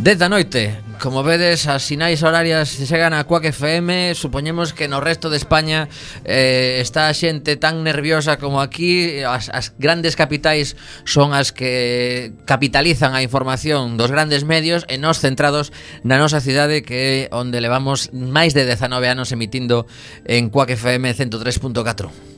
10 da noite. Como vedes, as sinais horarias chegan a Quack FM. Supoñemos que no resto de España está a xente tan nerviosa como aquí. As grandes capitais son as que capitalizan a información dos grandes medios, e nós centrados na nosa cidade, que é onde levamos máis de 19 anos emitindo en Quack FM 103.4.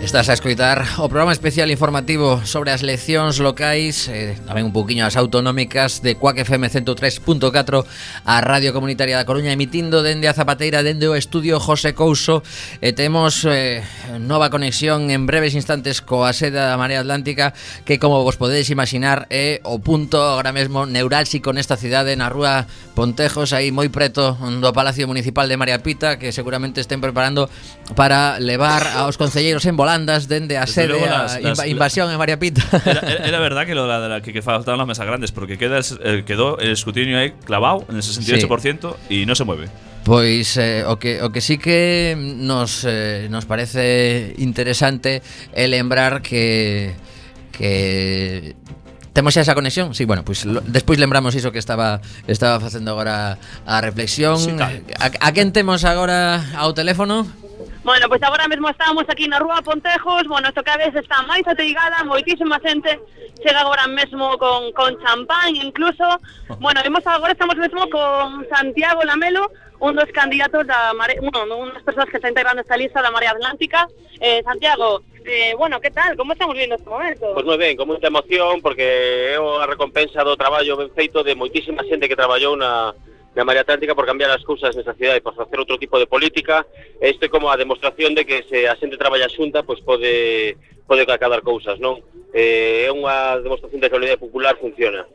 Estás a escoitar o programa especial informativo sobre as eleccións locais, tamén un pouquiño as autonómicas de Quack FM 103.4, a Radio Comunitaria da Coruña, emitindo dende a Zapateira, dende o estudio José Couso, e temos nova conexión en breves instantes coa sede da Marea Atlántica, que, como vos podedes imaginar, é o punto agora mesmo neurálxico nesta cidade, na rúa Pontejos, aí moi preto do Palacio Municipal de María Pita, que seguramente estén preparando para levar aos concelleiros en volandas dende a sede a invasión en María Pita. Era verdad que lo de la que faltaban las mesas grandes, porque quedó el escrutinio aí clavado en el 68% y no se mueve. Pois o que sí que nos parece interesante é lembrar que temos xa esa conexión. Sí, bueno, pois despois lembramos iso que estaba facendo agora a reflexión. Sí, a quen temos agora ao teléfono? Bueno, pois agora mesmo estamos aquí na rúa Pontejos. Bueno, isto cada vez está máis ateigada, moitísima xente chega agora mesmo con champán incluso. Bueno, agora estamos mesmo con Santiago Lamelo, un dos candidatos da Marea, unhas persoas que está integrando esta lista da Marea Atlántica. Santiago, bueno, que tal? Como estamos viendo este momento? Pois moi ben, con moita emoción, porque é a recompensa do traballo ben feito de moitísima xente que traballou na Marea Atlántica por cambiar as cousas nesa cidade, por facer outro tipo de política. Isto é como a demostración de que se a xente traballa xunta, pois pode acadar cousas, non? É unha demostración de que a unidade popular funciona.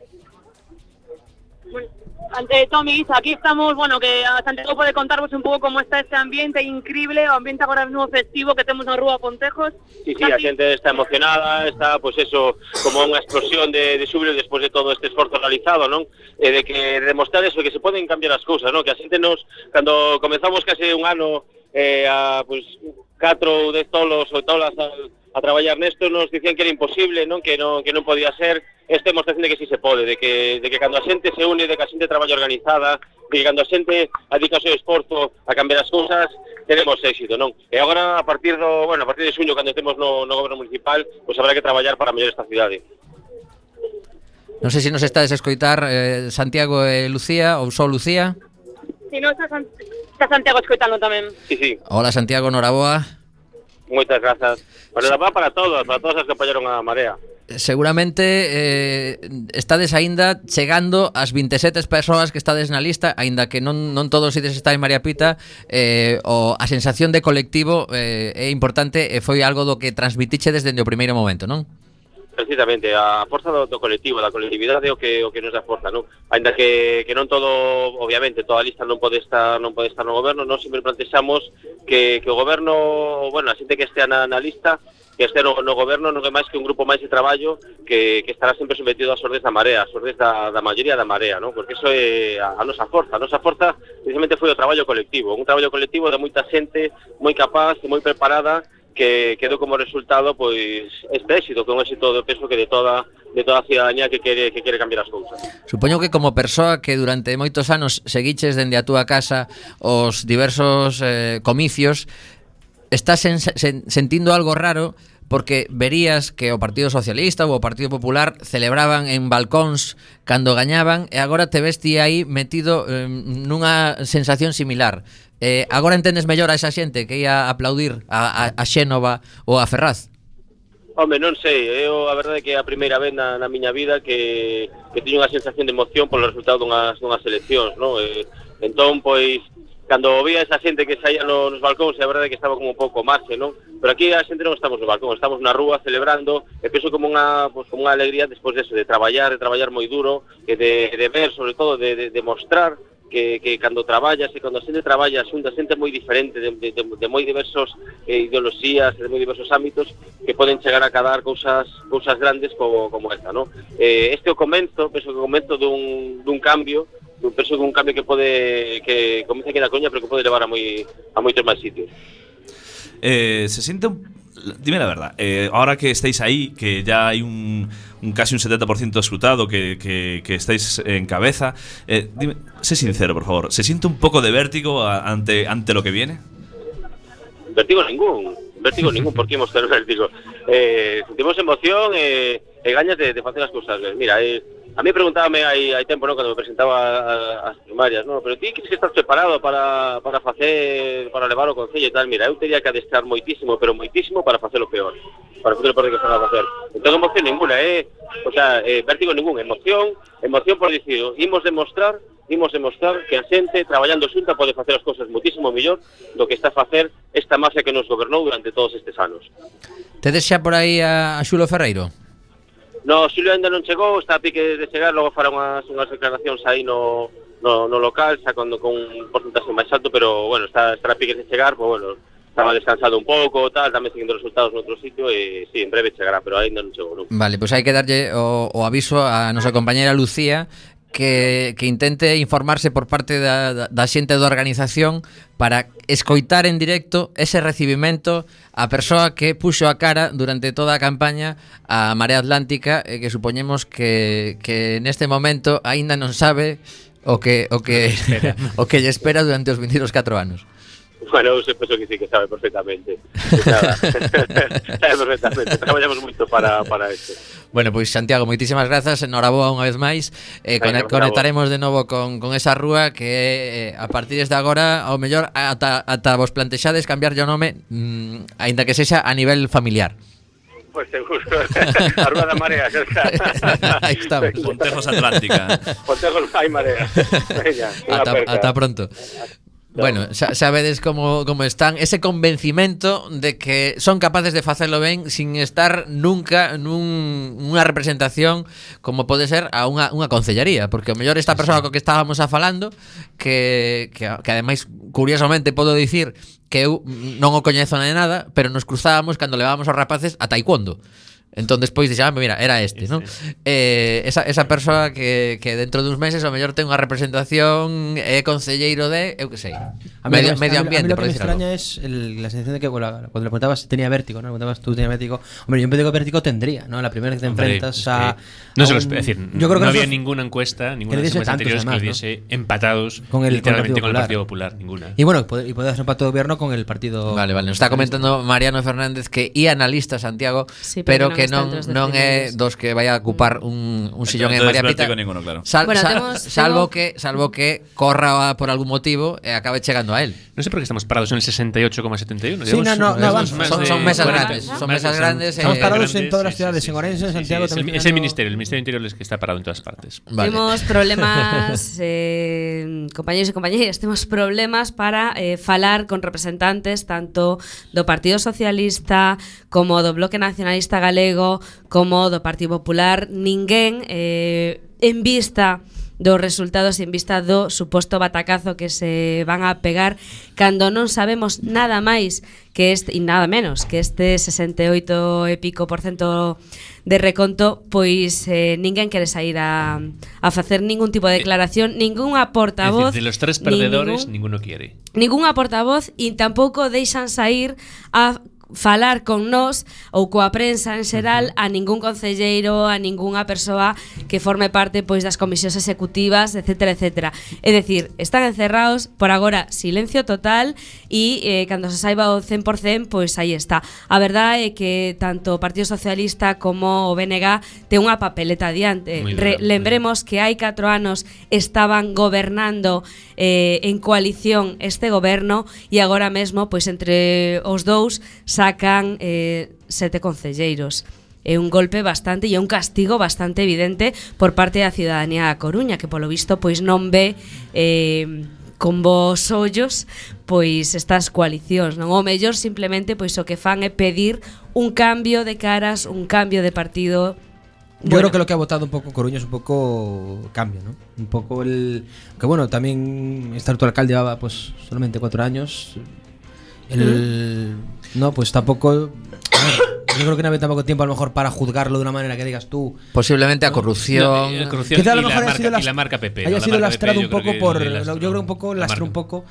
Ante Tomi, aquí estamos, bueno, que a Santiago pode contarvos un pouco como está este ambiente increíble, o ambiente agora mesmo festivo que temos na rúa Pontejos. Sí, a xente está emocionada, está, pois eso, como unha explosión de xúbilo despois de todo este esforzo realizado, non? De que demostrar eso, que se poden cambiar as cousas, non? Que a xente cando comezamos case un ano pois 4 ou 10 tolos ou tolas a traballar nesto, nos dicían que era imposible, non? Que non podía ser. Esta demostración de que sí se pode, de que cando a xente se une, de que a xente traballa organizada, de que cando a xente adica o seu esforzo a cambiar as cousas, tenemos éxito, non? E agora, a partir de xuño, cando estemos no goberno municipal, pois habrá que traballar para mellorar esta cidade. Non sei se nos estades a escoitar Santiago e Lucía, ou só Lucía. Si non está está Santiago escoitando tamén. Sí. Hola Santiago, noraboa. Moitas grazas. Bueno, va para todos as que apoyaron a Marea. Seguramente estades aínda chegando ás 27 persoas que estades na lista, aínda que non todos ides estar en María Pita. A sensación de colectivo é importante e foi algo do que transmitiche desde o primeiro momento, non? Precisamente, a forza do colectivo, da colectividade é o que nos dá forza, non? Ainda que non todo, obviamente, toda a lista non pode estar no goberno, nós sempre plantexamos que o goberno, bueno, a xente que estea na lista, que este no goberno non é máis que un grupo máis de traballo que estará sempre sometido ás ordes da Marea, ás ordes da maioría da Marea, non? Porque iso é a nosa forza. A nosa forza, precisamente, foi o traballo colectivo, un traballo colectivo de moita xente moi capaz e moi preparada, que quedou como resultado pois este éxito, que é un éxito de peso que de toda a ciudadanía que quere cambiar as cousas. Supoño que como persoa que durante moitos anos seguiches dende a túa casa os diversos comicios, estás sentindo algo raro porque verías que o Partido Socialista ou o Partido Popular celebraban en balcóns cando gañaban e agora te ves ti aí metido nunha sensación similar. Agora entendes mellor a esa xente que ia aplaudir a Xénova ou a Ferraz? Home, non sei, eu a verdade é que é a primeira vez na miña vida que teño unha sensación de emoción polo resultado dunhas eleccións, non? Entón, pois, cando vía esa xente que saía nos balcóns, a verdade é que estaba como un pouco marxe, non? Pero aquí a xente non estamos no balcón, estamos na rúa celebrando, e penso como unha alegría despois deso, de traballar moi duro, e de ver, sobre todo, de mostrar que cando traballas e cando a xente traballa xunta xente moi diferente de moi diversos ideoloxías, de moi diversos ámbitos, que poden chegar a cadar cousas grandes como esta, non? Este é o comenzo, penso que o comenzo dun cambio, penso que un cambio que comeza aquí na Coruña, pero que pode levar a moitos máis sitios. Se siente dime la verdad, ahora que estáis ahí, que ya hay casi un 70% escrutado, que estáis en cabeza, dime, sé sincero, por favor, ¿se siente un poco de vértigo ante lo que viene? Vértigo ningún, porque imos ter vértigo. Sentimos emoción e gañas de facer as cousas. Mira, a mí preguntábame hai tempo, ¿no?, cando me presentaba as primarias, ¿no?, pero ti crees que estás preparado para levar o concello e tal? Mira, eu teria que adestrar moitísimo, pero moitísimo para facer o peor, para facer o peor que estás a facer. Entón, emoción ninguna, vértigo ningún, emoción por dicir, imos demostrar que a xente traballando xunta pode facer as cousas moitísimo mellor do que está a facer esta mafia que nos gobernou durante todos estes anos. Tedes xa por aí a Xulo Ferreiro? No, Xulio ainda non chegou, está a pique de chegar, logo fará unhas declaracións aí no local, xa con un porcentaxe máis alto, pero, bueno, está a pique de chegar, pues, bueno, estaba descansado un pouco, tal, tamén seguindo resultados no outro sitio, e, sí, en breve chegará, pero ainda non chegou, non? Vale, pois hai que darlle o aviso a nosa compañera Lucía, que intente informarse por parte da xente da organización para escoitar en directo ese recibimento a persoa que puxo a cara durante toda a campaña a Marea Atlántica, e que supoñemos que neste momento aínda non sabe o que lle espera durante os 22 4 anos. Bueno, eu penso que sí, que sabe perfectamente. Sabe perfectamente. Traballamos moito para isto. Bueno, pois Santiago, moitísimas grazas, enhoraboa unha vez máis. Conectaremos de novo con esa rúa que a partir de agora, ao mellor ata vos plantexades cambiarlle o nome, aínda que sexa a nivel familiar. Pois seguro. A Rúa da Marea, xa está. Aí estamos. Pontejos Atlántica. Pontejos hai Marea. Veña, ata pronto. Bueno, sabedes como están, ese convencimento de que son capaces de facelo ben sin estar nunca nunha representación como pode ser a unha concellaría, porque o mellor esta persoa co que estábamos falando, que ademais curiosamente podo dicir que eu non o coñezo de nada, pero nos cruzábamos cando levábamos os rapaces a taekwondo. Entón despois dixamos, mira, era este, non? Esa persoa que dentro duns meses o mellor ten unha representación, é concelleiro de, eu que sei, medio ambiente, por decir algo. A mí lo que me extraña es la sensación de que cuando le preguntabas si tenía vértigo, ¿no? Le preguntabas tú tenía vértigo. Hombre, yo un vértigo tendría, ¿no? La primera vez que te enfrentas a... No se lo es decir, yo creo que no había ninguna encuesta, ninguna de las semanas anteriores que hubiese empatados literalmente con el Partido Popular, ninguna. Y bueno, y puede hacer un pacto de gobierno con el partido... Vale, nos está comentando Mariano Fernández que ía na lista, Santiago, pero que que non é dos que vai a ocupar un sillón en María Pita. Ninguno, claro. Salvo que corra por algún motivo e acabe chegando a él. Non sei por que estamos parados en el 68,71. Sí, son mesas grandes. Son mesas grandes. Estamos parados en todas las ciudades, en Orense, en Santiago. Es el Ministerio Interior es que está parado en todas partes. Vale. Temos problemas, compañeros e compañeras, temos problemas para falar con representantes tanto do Partido Socialista como do Bloque Nacionalista Galego como do Partido Popular. Ninguén en vista dos resultados, en vista do suposto batacazo que se van a pegar cando non sabemos nada máis que e nada menos que este 68 e pico % de reconto, pois ninguén quere sair a facer ningún tipo de declaración, ninguna portavoz. Es decir, de los tres perdedores, ninguno quiere. Ninguna portavoz e tampouco deixan sair a falar con nós ou coa prensa en xeral a ningún concelleiro, a ningunha persoa que forme parte pois das comisións executivas, etcétera, etcétera. É dicir, están encerrados, por agora silencio total e cando se saiba o 100%, pois aí está. A verdade é que tanto o Partido Socialista como o BNG ten unha papeleta adiante. Lembremos que hai 4 anos estaban gobernando en coalición este goberno e agora mesmo, pois entre os dous sacan 7 concelleiros. É un golpe bastante e un castigo bastante evidente por parte da ciudadanía da Coruña, que polo visto pois non ve con bons ollos pois estas coalicións, non? O mellor simplemente pois o que fan é pedir un cambio de caras, un cambio de partido. Yo creo que lo que ha votado un poco Coruña es un poco cambio, ¿no? Un poco el... Que bueno, también este actual alcalde llevaba pues solamente 4 años. No, pues tampoco... A ver, yo creo que no había tampoco tiempo a lo mejor para juzgarlo de una manera que digas tú. Posiblemente a corrupción. Quizá a lo mejor la marca PP. Haya sido lastrado un poco por... Yo creo un poco lastró un poco...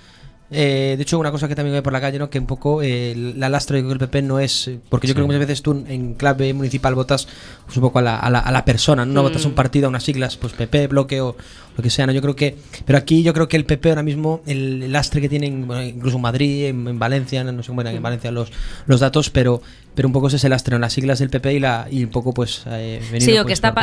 de hecho, una cosa que también ve por la calle, ¿no? Que un poco la lastra del PP no es... Porque yo creo que muchas veces tú en clave municipal votas pues, un poco a la persona, no votas a un partido, a unas siglas, pues PP, bloque o lo que sea, ¿no? Yo creo que... Pero aquí yo creo que el PP ahora mismo, el lastre que tienen, bueno, incluso en Madrid, en Valencia, no sé cómo eran en Valencia los datos, pero un pouco ese lastre en las siglas del PP e un pouco pues sí, o que está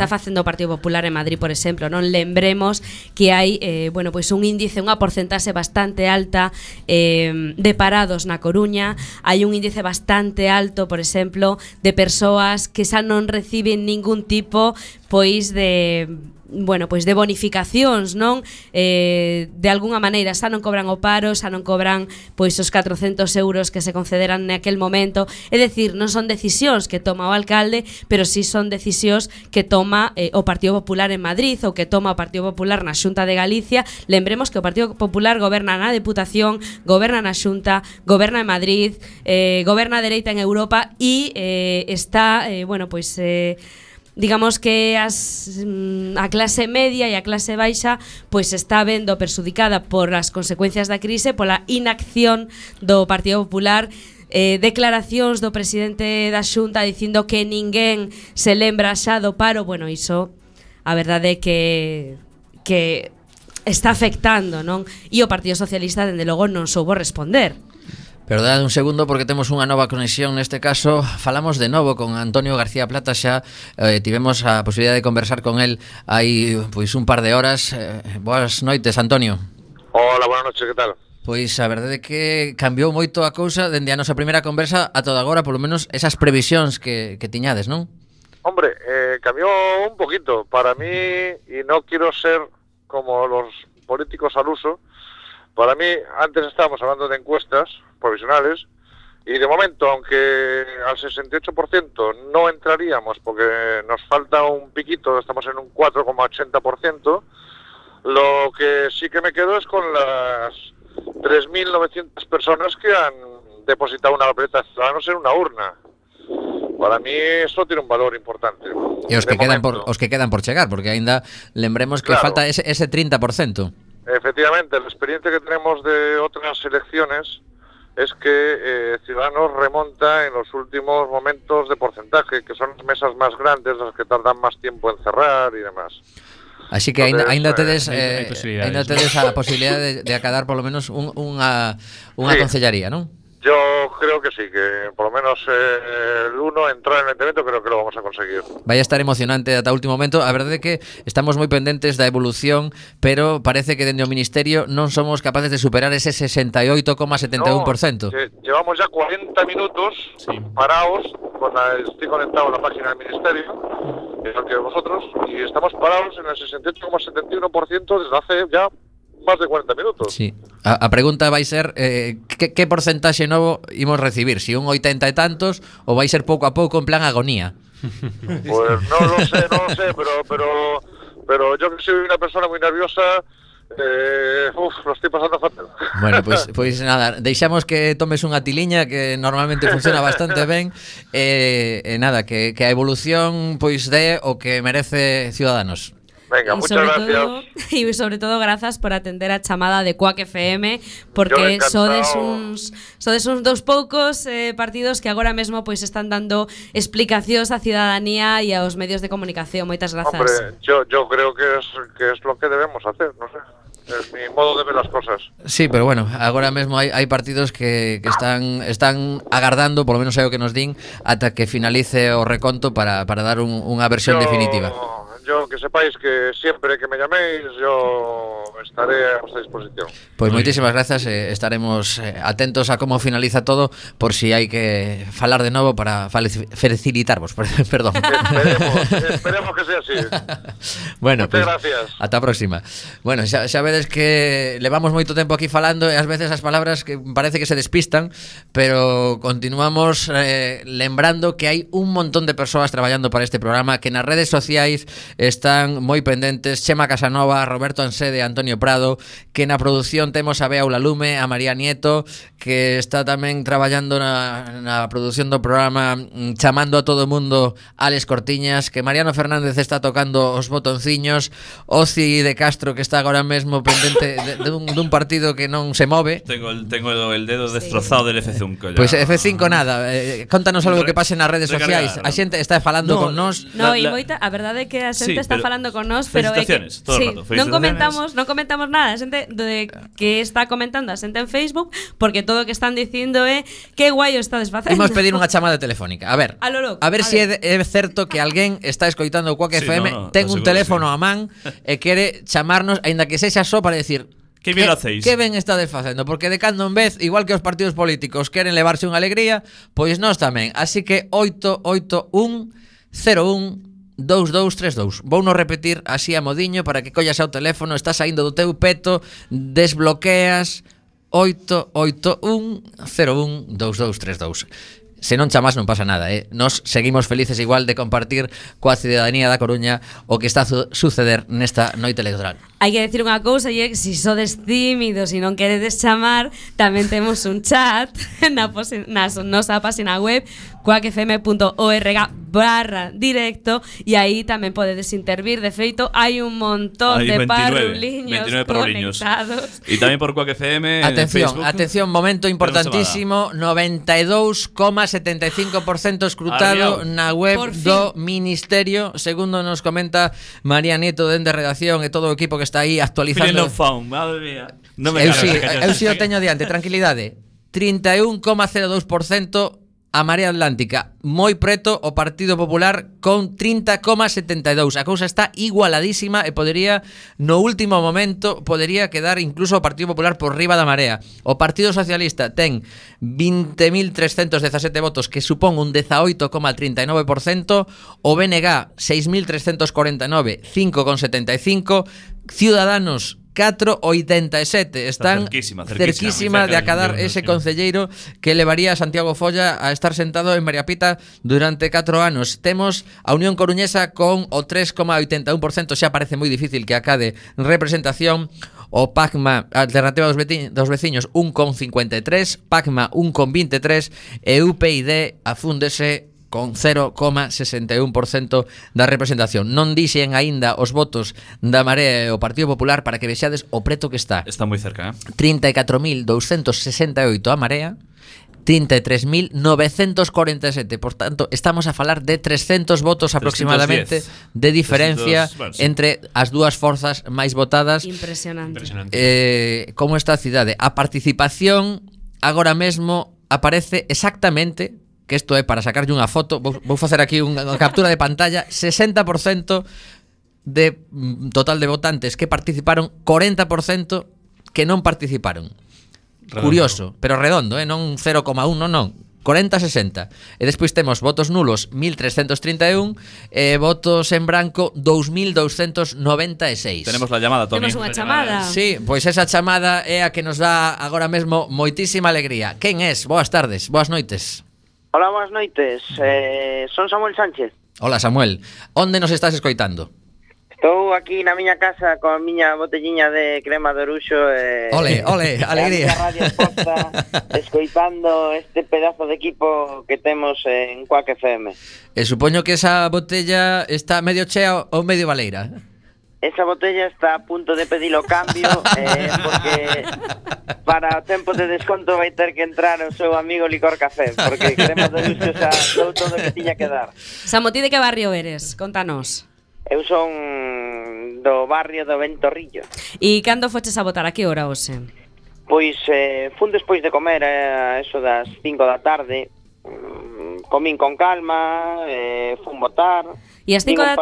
facendo o Partido Popular en Madrid, por exemplo, non lembremos que hai bueno, pois un índice, unha porcentaxe bastante alta de parados na Coruña, hai un índice bastante alto, por exemplo, de persoas que xa non reciben ningún tipo pois de bueno, pois de bonificacións, non? De algunha maneira xa non cobran o paro, xa non cobran pois os 400 euros que se concederan naquel momento. É dicir, non son decisións que toma o alcalde, pero sí son decisións que toma o Partido Popular en Madrid ou que toma o Partido Popular na Xunta de Galicia. Lembremos que o Partido Popular goberna na Deputación, goberna na Xunta, goberna en Madrid, goberna a dereita en Europa e está, bueno, pois digamos que a clase media e a clase baixa pois está vendo perxudicada por as consecuencias da crise, pola inacción do Partido Popular. Declaracións do presidente da Xunta dicindo que ninguén se lembra xa do paro. Bueno, iso a verdade é que está afectando, non? E o Partido Socialista dende logo non soubo responder. Perdad un segundo porque temos unha nova conexión. Neste caso falamos de novo con Antonio García Plata. Xa tivemos a posibilidade de conversar con el hai pois un par de horas. Boas noites, Antonio. Hola, buenas noches, que tal? Pois a verdade é que cambiou moito a cousa dende a nosa primeira conversa a toda agora, polo menos esas previsións que tiñades, non? Hombre, cambió un poquito. Para mí, y no quiero ser como los políticos al uso, para mí, antes estábamos hablando de encuestas provisionales y de momento, aunque al 68% no entraríamos porque nos falta un piquito, estamos en un 4,80%, lo que sí que me quedo es con las 3.900 personas que han depositado una papeleta de Ciudadanos en una urna. Para mí eso tiene un valor importante. E os que quedan por chegar, porque aínda lembremos que falta ese 30%. Efectivamente, la experiencia que tenemos de otras elecciones es que Ciudadanos remonta en los últimos momentos de porcentaje, que son las mesas más grandes, las que tardan más tiempo en cerrar y demás. Así que aínda tedes a posibilidade de acadar por lo menos unha concellaría, non? Yo creo que sí, que por lo menos el 1 entrar en el evento creo que lo vamos a conseguir. Vai a estar emocionante ata o último momento. A verdade é que estamos moi pendentes da evolución, pero parece que dende o Ministerio non somos capaces de superar ese 68,71%. Llevamos ya 40 minutos parados, estoy conectado a la página del Ministerio, igual que vosotros, y estamos parados en el 68,71% desde hace ya más de 40 minutos. Sí. A pregunta vai ser que porcentaxe novo imos recibir, si un 80 e tantos ou vai ser pouco a pouco en plan agonía. Pues no lo sé, pero yo que soy una persona muy nerviosa, lo estoy pasando fatal. Bueno, pois nada, deixamos que tomes unha tiliña que normalmente funciona bastante ben, nada, que a evolución pois dé o que merece Ciudadanos. Venga, muchas gracias. Y sobre todo gracias por atender a chamada de Quack FM, porque sodes uns dos poucos partidos que agora mesmo pois están dando explicacións á ciudadanía e aos medios de comunicación. Moitas grazas. Hombre, yo creo que es lo que debemos hacer, no sé. Es mi modo de ver las cosas. Sí, pero bueno, agora mesmo hai partidos que están agardando, por lo menos é o que nos din, ata que finalice o reconto para dar unha versión definitiva. Yo que sepáis que siempre que me llaméis yo estaré a vuestra disposición. Pues moitísimas grazas, estaremos atentos a como finaliza todo, por si hai que falar de novo para felicitarvos, perdón. Esperemos que sea así. Bueno, muchas gracias. Ata a próxima. Bueno, xa vedes que levamos moito tempo aquí falando e ás veces as palabras que parece que se despistan, pero continuamos lembrando que hai un montón de persoas traballando para este programa, que nas redes sociais están moi pendentes: Chema Casanova, Roberto Ansede, Antonio Prado, que na produción temos a Bea Ulalume, a María Nieto, que está tamén traballando na produción do programa, chamando a todo o mundo, Alex Cortiñas, que Mariano Fernández está tocando os botonciños, Oci de Castro, que está agora mesmo pendente dun partido que non se move. Tengo el dedo destrozado del F5 ya. Pois F5 nada, contanos algo que pase nas redes sociais. A xente está falando con nós. No, e moita, a verdade é que a xente está falando con nós, pero é que non comentamos nada. A xente que está comentando a xente en Facebook, porque todo o que están dicindo é que guai o estades facendo. Imos pedir unha chamada telefónica. A ver si é certo que alguén está escoitando o Quack FM, ten un teléfono a man e quere chamarnos, aínda que sexa só para decir que bien lo hacéis. Que ben estades facendo, porque de cando en vez, igual que os partidos políticos queren levarse unha alegría, pois nós tamén. Así que 881012232. Vouno repetir así a modiño para que collas ao teléfono, está saindo do teu peto, desbloqueas 881012232. Se non chamas non pasa nada, Nos seguimos felices igual de compartir coa ciudadanía da Coruña o que está a suceder nesta noite electoral. Hai que decir unha cousa, e é que se sodes tímidos e non queredes chamar, tamén temos un chat na nosa página web quackfm.org/directo, e aí tamén podedes intervir. De feito, hai un montón de parruliños conectados. E tamén por Quack FM. Atención, momento importantísimo: 92,75% escrutado na web do Ministerio, segundo nos comenta María Nieto dende redacción e todo o equipo que está aí actualizando. Madre mía. Eu si o teño diante, tranquilidade. 31,02% a Marea Atlántica, moi preto o Partido Popular con 30,72. A cousa está igualadísima e podería, no último momento, podería quedar incluso o Partido Popular por riba da Marea. O Partido Socialista ten 20.317 votos, que supón un 18,39%. O BNG 6.349, 5,75%. Ciudadanos 4,87. Están cerquísima de acadar ese concelleiro que levaría a Santiago Folla a estar sentado en María Pita durante 4 anos. Temos a Unión Coruñesa con o 3,81%, xa parece moi difícil que acade representación. O PACMA, Alternativa dos Veciños, 1,53%, PACMA 1,23% e UPyD afúndese con 0,61% da representación. Non dixen aínda os votos da Marea e o Partido Popular para que vexades o preto que está. Está moi cerca, 34.268 a Marea, 33.947. Por tanto, estamos a falar de 300 votos aproximadamente de diferencia entre as dúas forzas máis votadas. Impresionante. Como está a cidade? A participación agora mesmo aparece exactamente, que isto é para sacarlle unha foto, vou facer aquí unha captura de pantalla, 60% de total de votantes que participaron, 40% que non participaron. Redondo. Curioso, pero redondo, non 0,1, non. 40-60. E despois temos votos nulos 1.331 e votos en branco 2.296. Tenemos la llamada, Toni. Temos unha chamada. Sí, pois esa chamada é a que nos dá agora mesmo moitísima alegría. Quen es? Boas tardes, boas noites. Hola, boas noites. Son Samuel Sánchez. Hola, Samuel. Onde nos estás escoitando? Estou aquí na miña casa con a miña botelliña de crema de oruxo ole, alegría. A radio posta, escoitando este pedazo de equipo que temos en Quack FM. E supoño que esa botella está medio chea ou medio baleira. Esa botella está a punto de pedir o cambio porque para o tempo de desconto vai ter que entrar o seu amigo Licor Café, porque crema de oruxo xa dou todo o que tiña que dar. Samo, ti de que barrio eres? Contanos. Eu son do barrio do Ventorrillo. E cando foches a votar? A que hora hoxe? Pois fun despois de comer a eso das 5 da tarde. Comín con calma, fun votar. E ás 5 da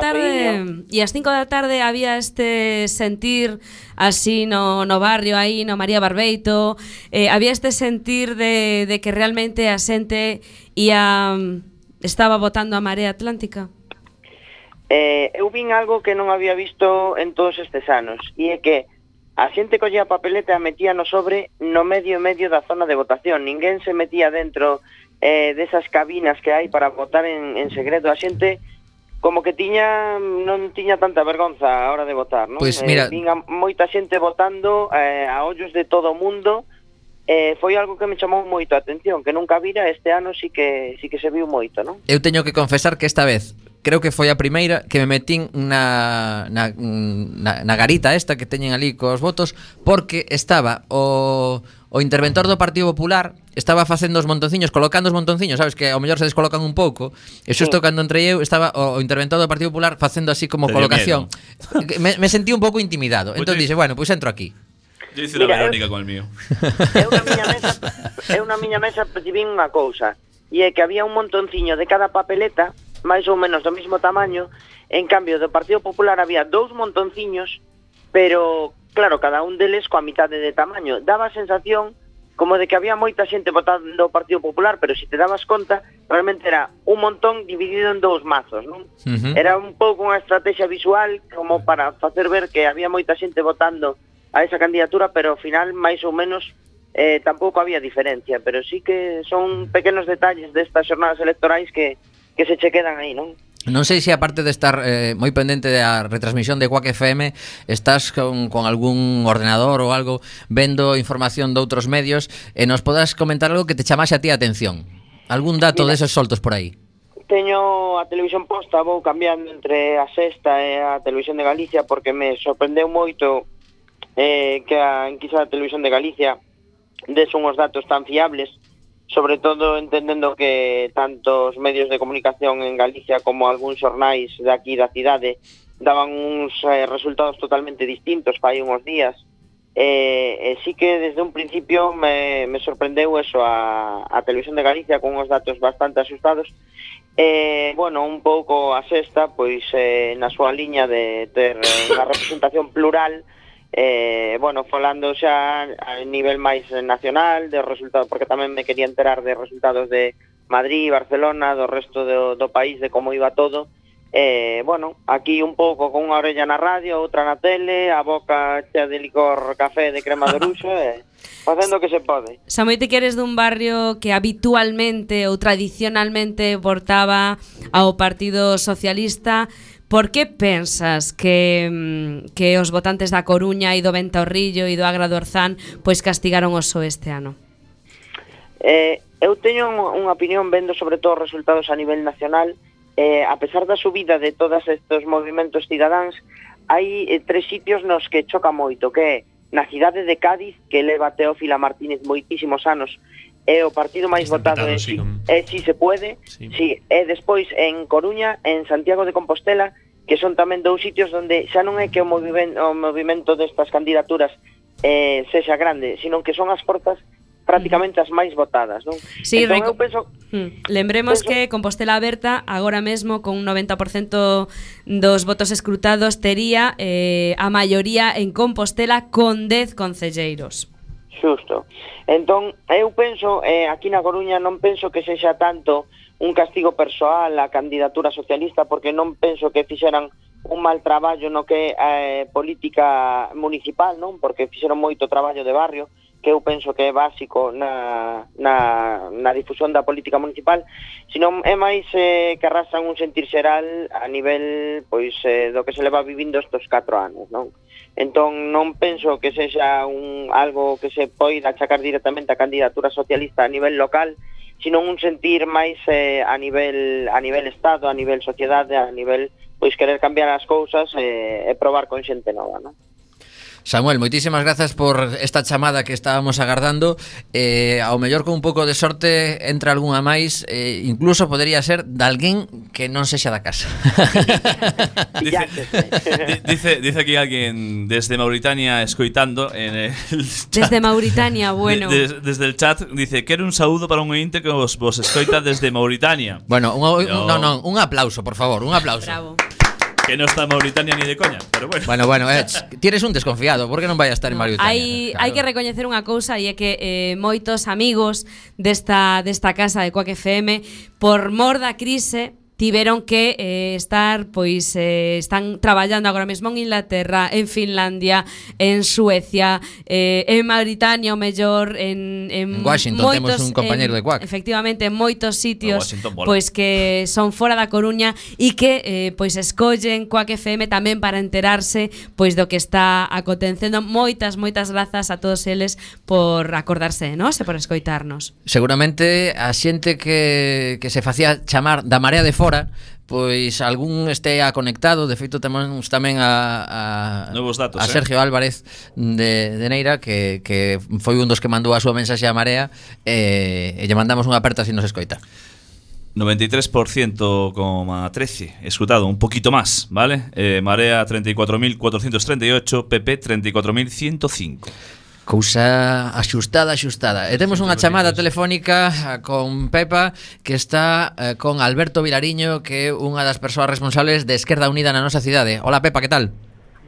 tarde, había este sentir así no barrio aí, no María Barbeito, había este sentir de que realmente a xente estaba votando a Marea Atlántica. Eu vin algo que non había visto en todos estes anos, e é que a xente collía a papeleta e metía no sobre no medio da zona de votación. Ninguén se metía dentro desas cabinas que hai para votar en segredo. A xente como que non tiña tanta vergonza a hora de votar, non? Pois mira, vin a moita xente votando a ollos de todo o mundo. Foi algo que me chamou moito a atención, que nunca vira. Este ano sí que se viu moito, non? Eu teño que confesar que esta vez creo que foi a primeira que me metín na garita esta que teñen ali cos votos, porque estaba o interventor do Partido Popular, estaba facendo os montonciños, colocando os montonciños, sabes, que ao mellor se descolocan un pouco, e xusto cando entrei eu estaba o interventor do Partido Popular facendo así como colocación. Me sentí un pouco intimidado, entón dixe, bueno, pois entro aquí. Yo hice la Verónica con el mío. Eu na miña mesa percibín unha cousa, e é que había un montonciño de cada papeleta, máis ou menos do mesmo tamaño. En cambio, do Partido Popular había 2 montonciños, pero, claro, cada un deles coa mitade de tamaño. Daba a sensación como de que había moita xente votando o Partido Popular, pero se te dabas conta, realmente era un montón dividido en 2 mazos, non? Era un pouco unha estrategia visual como para facer ver que había moita xente votando a esa candidatura, pero ao final, máis ou menos, tampouco había diferencia. Pero sí que son pequenos detalles destas xornadas electorais que se che quedan aí, non? Non sei se aparte de estar moi pendente da retransmisión de Quack FM, estás con algún ordenador ou algo vendo información de outros medios e nos podas comentar algo que te chamase a ti a atención. Algún dato deses soltos por aí? Teño a televisión posta, vou cambiando entre a Sexta e a Televisión de Galicia, porque me sorprendeu moito que a enquisa da Televisión de Galicia des unhos datos tan fiables, sobre todo entendendo que tanto os medios de comunicación en Galicia como algúns xornais de aquí da cidade daban uns resultados totalmente distintos fai unhos días. Sí que desde un principio me sorprendeu eso a Televisión de Galicia con uns datos bastante asustados. Bueno, un pouco a Sexta, pois na súa liña de ter unha representación plural, bueno, falando xa a nivel máis nacional de resultados, porque tamén me quería enterar de resultados de Madrid, Barcelona, do resto do país, de como iba todo. Bueno, aquí un pouco con unha orella na radio, outra na tele, a boca chea de licor café de crema de oruxo, facendo o que se pode. Samuel, te que eres dun barrio que habitualmente ou tradicionalmente votaba ao Partido Socialista. Por que pensas que os votantes da Coruña e do Ventorrillo e do Agra do Orzán pois castigaron o PSOE este ano? Eu teño unha opinión vendo sobre todo os resultados a nivel nacional. A pesar da subida de todos estes movimentos cidadáns, hai 3 sitios nos que choca moito, que é na cidade de Cádiz, que leva Teófila Martínez moitísimos anos, é o partido máis votado, Si se puede, sí. E despois en Coruña, en Santiago de Compostela, que son tamén 2 sitios onde xa non é que o movimento destas candidaturas sexa grande, sino que son as portas prácticamente as máis votadas, non? Sí, entón, eu penso, lembremos que Compostela Aberta agora mesmo con un 90% dos votos escrutados tería a maioría en Compostela con 10 concelleiros. Xusto. Entón, eu penso, aquí na Coruña non penso que sexa tanto un castigo persoal á candidatura socialista, porque non penso que fixeran un mal traballo no que é política municipal, non? Porque fixeron moito traballo de barrio, que eu penso que é básico na difusión da política municipal, senón é máis que arrastran un sentir xeral a nivel pois do que se leva vivindo estes 4 anos, non? Entón non penso que sexa algo que se poida achacar directamente a candidatura socialista a nivel local, senón un sentir máis a nivel Estado, a nivel sociedade, a nivel pois querer cambiar as cousas e probar con xente nova, non? Samuel, moitísimas grazas por esta chamada que estábamos agardando. Ao mellor con un pouco de sorte entra algunha máis, incluso podería ser de alguén que non sexa da casa. dice aquí alguén desde Mauritania escoitando en el chat. Desde Mauritania, bueno. Desde el chat dice: "Quero un saúdo para un ointe que vos escoita desde Mauritania". Bueno, un aplauso, por favor, un aplauso. Bravo. Que no está en Mauritania ni de coña, pero bueno. Bueno, tienes un desconfiado, por que non vai a estar en Mauritania? Hai que recoñecer unha cousa, e é que moitos amigos desta casa de Quack FM, por mor da crise, tiveron que estar, pois están traballando agora mesmo en Inglaterra, en Finlandia, en Suecia, en Mauritania, o mellor en Washington moitos, temos un compañeiro de Quack. Efectivamente, en moitos sitios pois que son fora da Coruña e que pois escollen Quack FM tamén para enterarse pois do que está acontecendo. Moitas grazas a todos eles por acordarse de nós e por escoitarnos. Seguramente a xente que se facía chamar da Marea de Fora, pois algún estea conectado. De feito temos tamén a novos datos, a Sergio Álvarez de Neira, que foi un dos que mandou a súa mensaxe a Marea, e lle mandamos unha aperta se nos escoita. 93,13 escrutado, un poquito más, ¿vale? Marea 34.438, PP 34.105. Cousa axustada. E temos unha chamada telefónica con Pepa, que está con Alberto Vilariño, que é unha das persoas responsables de Esquerda Unida na nosa cidade. Hola Pepa, que tal?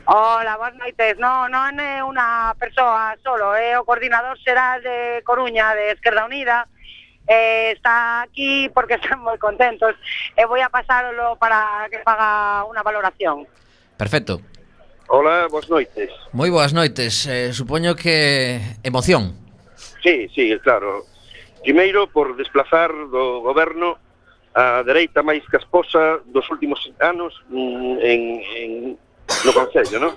Hola, boas noites. Non é unha persoa solo, é o coordinador xeral de Coruña de Esquerda Unida. Está aquí porque están moi contentos e vou a pasarlo para que faga unha valoración. Perfecto. Hola, boas noites. Moi boas noites. Supoño que emoción. Sí, claro. Primeiro, por desplazar do goberno a dereita máis casposa dos últimos anos no Concello, non?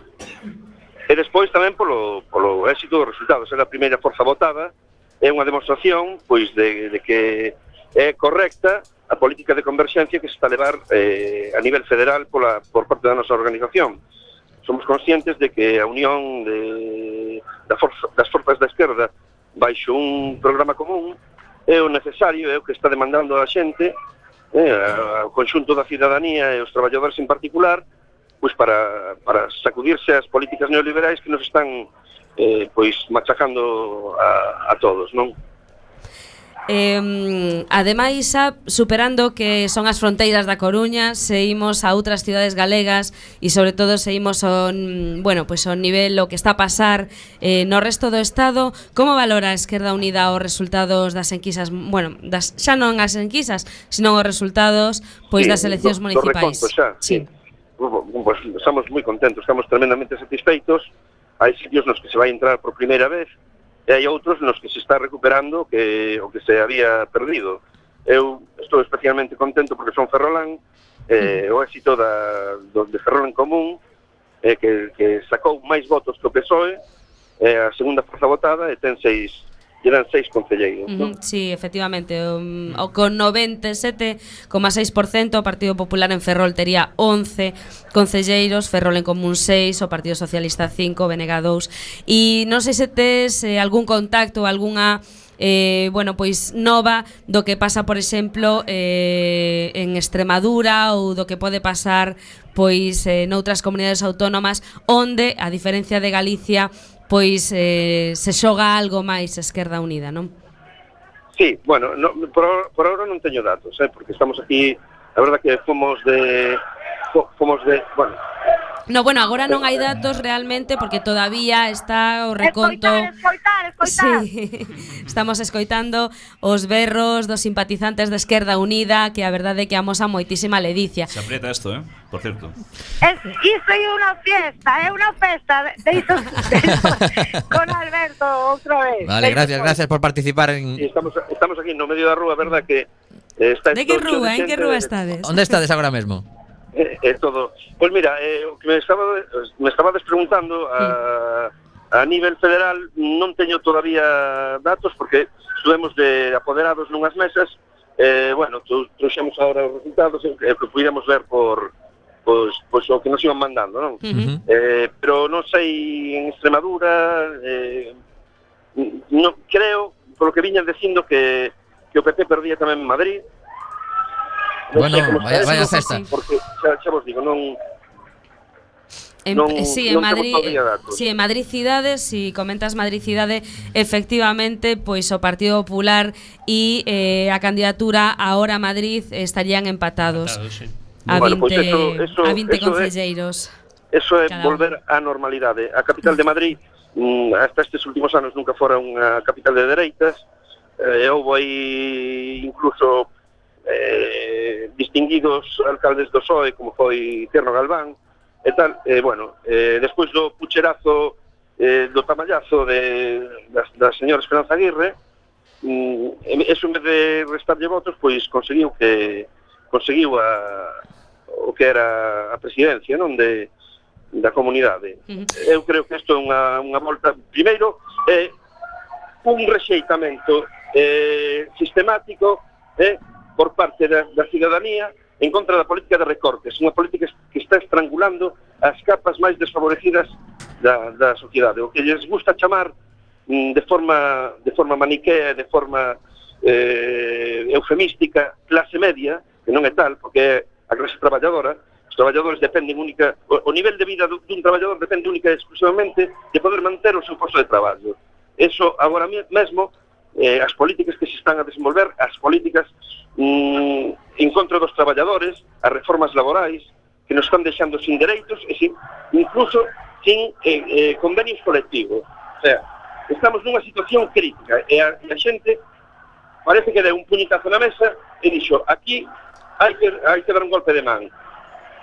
E despois tamén polo éxito dos resultados. É a primeira forza votada, é unha demostración pois de que é correcta a política de converxencia que se está a levar a nivel federal por parte da nosa organización. Somos conscientes de que a unión das forzas da esquerda baixo un programa común é o necesario, é o que está demandando a xente, o conxunto da cidadanía e os traballadores en particular, pois para sacudirse as políticas neoliberais que nos están pois machacando a todos, non? Ademais, superando que son as fronteiras da Coruña, seguimos a outras cidades galegas e sobre todo seguimos ao nivel o que está a pasar no resto do Estado. Como valora a Esquerda Unida os resultados das enquisas, xa non as enquisas, sino os resultados das eleccións municipais? Sí. Pues estamos moi contentos, estamos tremendamente satisfeitos. Hai sitios nos que se vai entrar por primeira vez e hai outros nos que se está recuperando o que se había perdido. Eu estou especialmente contento porque son ferrolán, o éxito de Ferrol en Común, que sacou máis votos que o PSOE, a segunda forza votada, e eran 6 concelleiros. Sí, efectivamente, con 97,6%, o Partido Popular en Ferrol tería 11 concelleiros, Ferrol en Común 6, o Partido Socialista 5, BNG 2. E non sei se tes algún contacto, algunha nova do que pasa, por exemplo, en Extremadura, ou do que pode pasar noutras comunidades autónomas onde, a diferencia de Galicia, pois se xoga algo máis Esquerda Unida, non? Sí, bueno, por ahora non teño datos, porque estamos aquí, a verdad que fomos de, bueno. No, bueno, agora non hai datos realmente porque todavía está o reconto. Escoitar. Sí, estamos escoitando os berros dos simpatizantes de Esquerda Unida, que a verdade é que amosan moitísima ledicia. Se aprieta isto, por cierto. Isto é unha festa de iso con Alberto outra vez. Vale, gracias por participar en... Sí, estamos aquí no medio da rúa, verdad que está... De que rúa? En que rúa estades? Onde estades agora mesmo? Todo. Pois mira, o que me estabas preguntando a nivel federal non teño todavía datos porque estuvemos de apoderados nunhas mesas, bueno, trouxemos agora os resultados que puidemos ver por pois o que nos iban mandando, non? Pero non sei en Extremadura, non creo, polo que viñan dicindo que o PP perdía tamén en Madrid. Bueno, vaya festa. Porque xa vos digo, non sí, en Madrid, sí, en Madrid cidade, si comentas Madrid cidade, efectivamente, pois o Partido Popular e a candidatura Ahora Madrid estarían empatados. Sí. A 20 concelleiros. Eso é volver á normalidade. A capital de Madrid hasta estes últimos anos nunca fora unha capital de dereitas. Houve aí incluso distinguidos alcaldes do PSOE como foi Tierno Galván e tal, bueno, despois do pucherazo do tamallazo da señora Esperanza Aguirre, eso en vez de restarlle votos, pois conseguiu o que era a presidencia, non, da comunidade. Eu creo que isto é unha volta, primeiro, un rexeitamento sistemático por parte da cidadanía en contra da política de recortes, unha política que está estrangulando as capas máis desfavorecidas da sociedade, o que lles gusta chamar de forma maniquea, de forma eufemística, clase media, que non é tal, porque é a clase traballadora. Os traballadores dependen única, o nivel de vida dun traballador depende única e exclusivamente de poder manter o seu posto de traballo. Eso agora mesmo, as políticas que se están a desenvolver, as políticas en contra dos traballadores, as reformas laborais que nos están deixando sin dereitos e incluso sin convenios colectivos. O sea, estamos nunha situación crítica e a xente parece que deu un puñetazo na mesa e dixo, aquí hai que dar un golpe de man.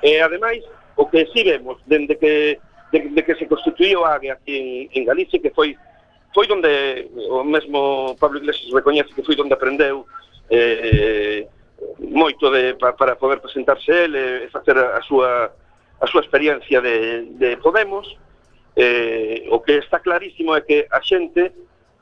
E ademais, o que si vemos dende que se constituíu a AGE aquí en Galicia, que foi donde o mesmo Pablo Iglesias recoñece que foi donde aprendeu moito para poder presentarse ele e facer a súa experiencia de Podemos. O que está clarísimo é que a xente,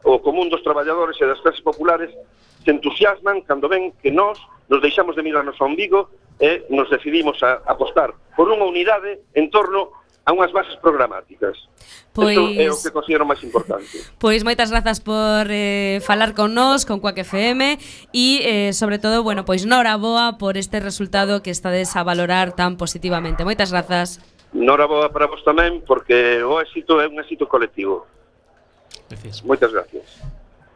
o común dos traballadores e das clases populares se entusiasman cando ven que nos deixamos de mirarnos ao umbigo e nos decidimos a apostar por unha unidade en torno a unhas bases programáticas. Isto é o que considero máis importante. Pois moitas grazas por falar con nós, con Quack FM e sobre todo, bueno, pois noraboa por este resultado que estades a valorar tan positivamente. Moitas grazas. Noraboa para vos tamén, porque o éxito é un éxito colectivo. Gracias. Moitas gracias.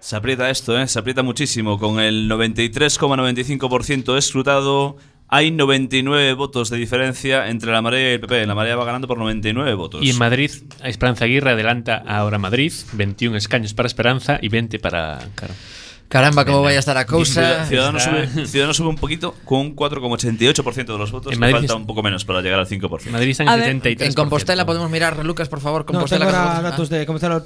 Se aprieta esto, se aprieta muchísimo. Con el 93,95% escrutado, hay 99 votos de diferencia entre la Marea y el PP. La Marea va ganando por 99 votos. Y en Madrid, Esperanza Aguirre adelanta Ahora Madrid, 21 escaños para Esperanza y 20 para Caro. Caramba, cómo vaya a estar a cousa. Ciudadanos sube un poquito con un 4,88% de los votos. En Madrid falta un poco menos para llegar al 5%. Madrid está en 73%. En Compostela podemos mirar, Lucas, por favor. Compostela. No, tengo ahora datos de Compostela,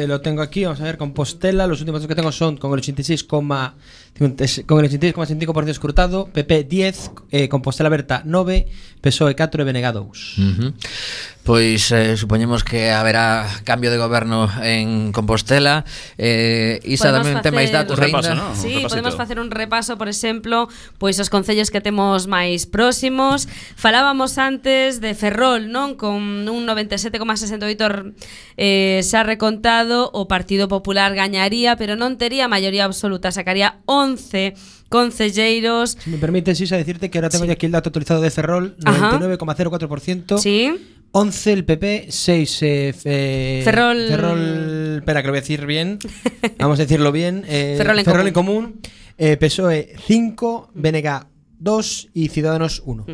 lo tengo aquí. Vamos a ver, Compostela, los últimos datos que tengo son con el 86,5% escrutado, PP 10, Compostela Berta 9, PSOE 4 e BNG 2. Pois supoñemos que haberá cambio de goberno en Compostela. Isa tamén ten máis datos repaso, ¿no? Sí, podemos facer un repaso, por exemplo, pois os concellos que temos máis próximos. Falábamos antes de Ferrol, non? Con un 97,68 xa recontado, o Partido Popular gañaría, pero non tería maioría absoluta, sacaría 11 concelleiros. Si me permites, Isa, decirte que ahora tengo ya aquí el dato actualizado de Ferrol, 99,04%. Sí. 11 el PP, 6 Ferrol. Espera, que lo voy a decir bien. Vamos a decirlo bien. Ferrol en común. PSOE 5, BNG 2 y Ciudadanos 1.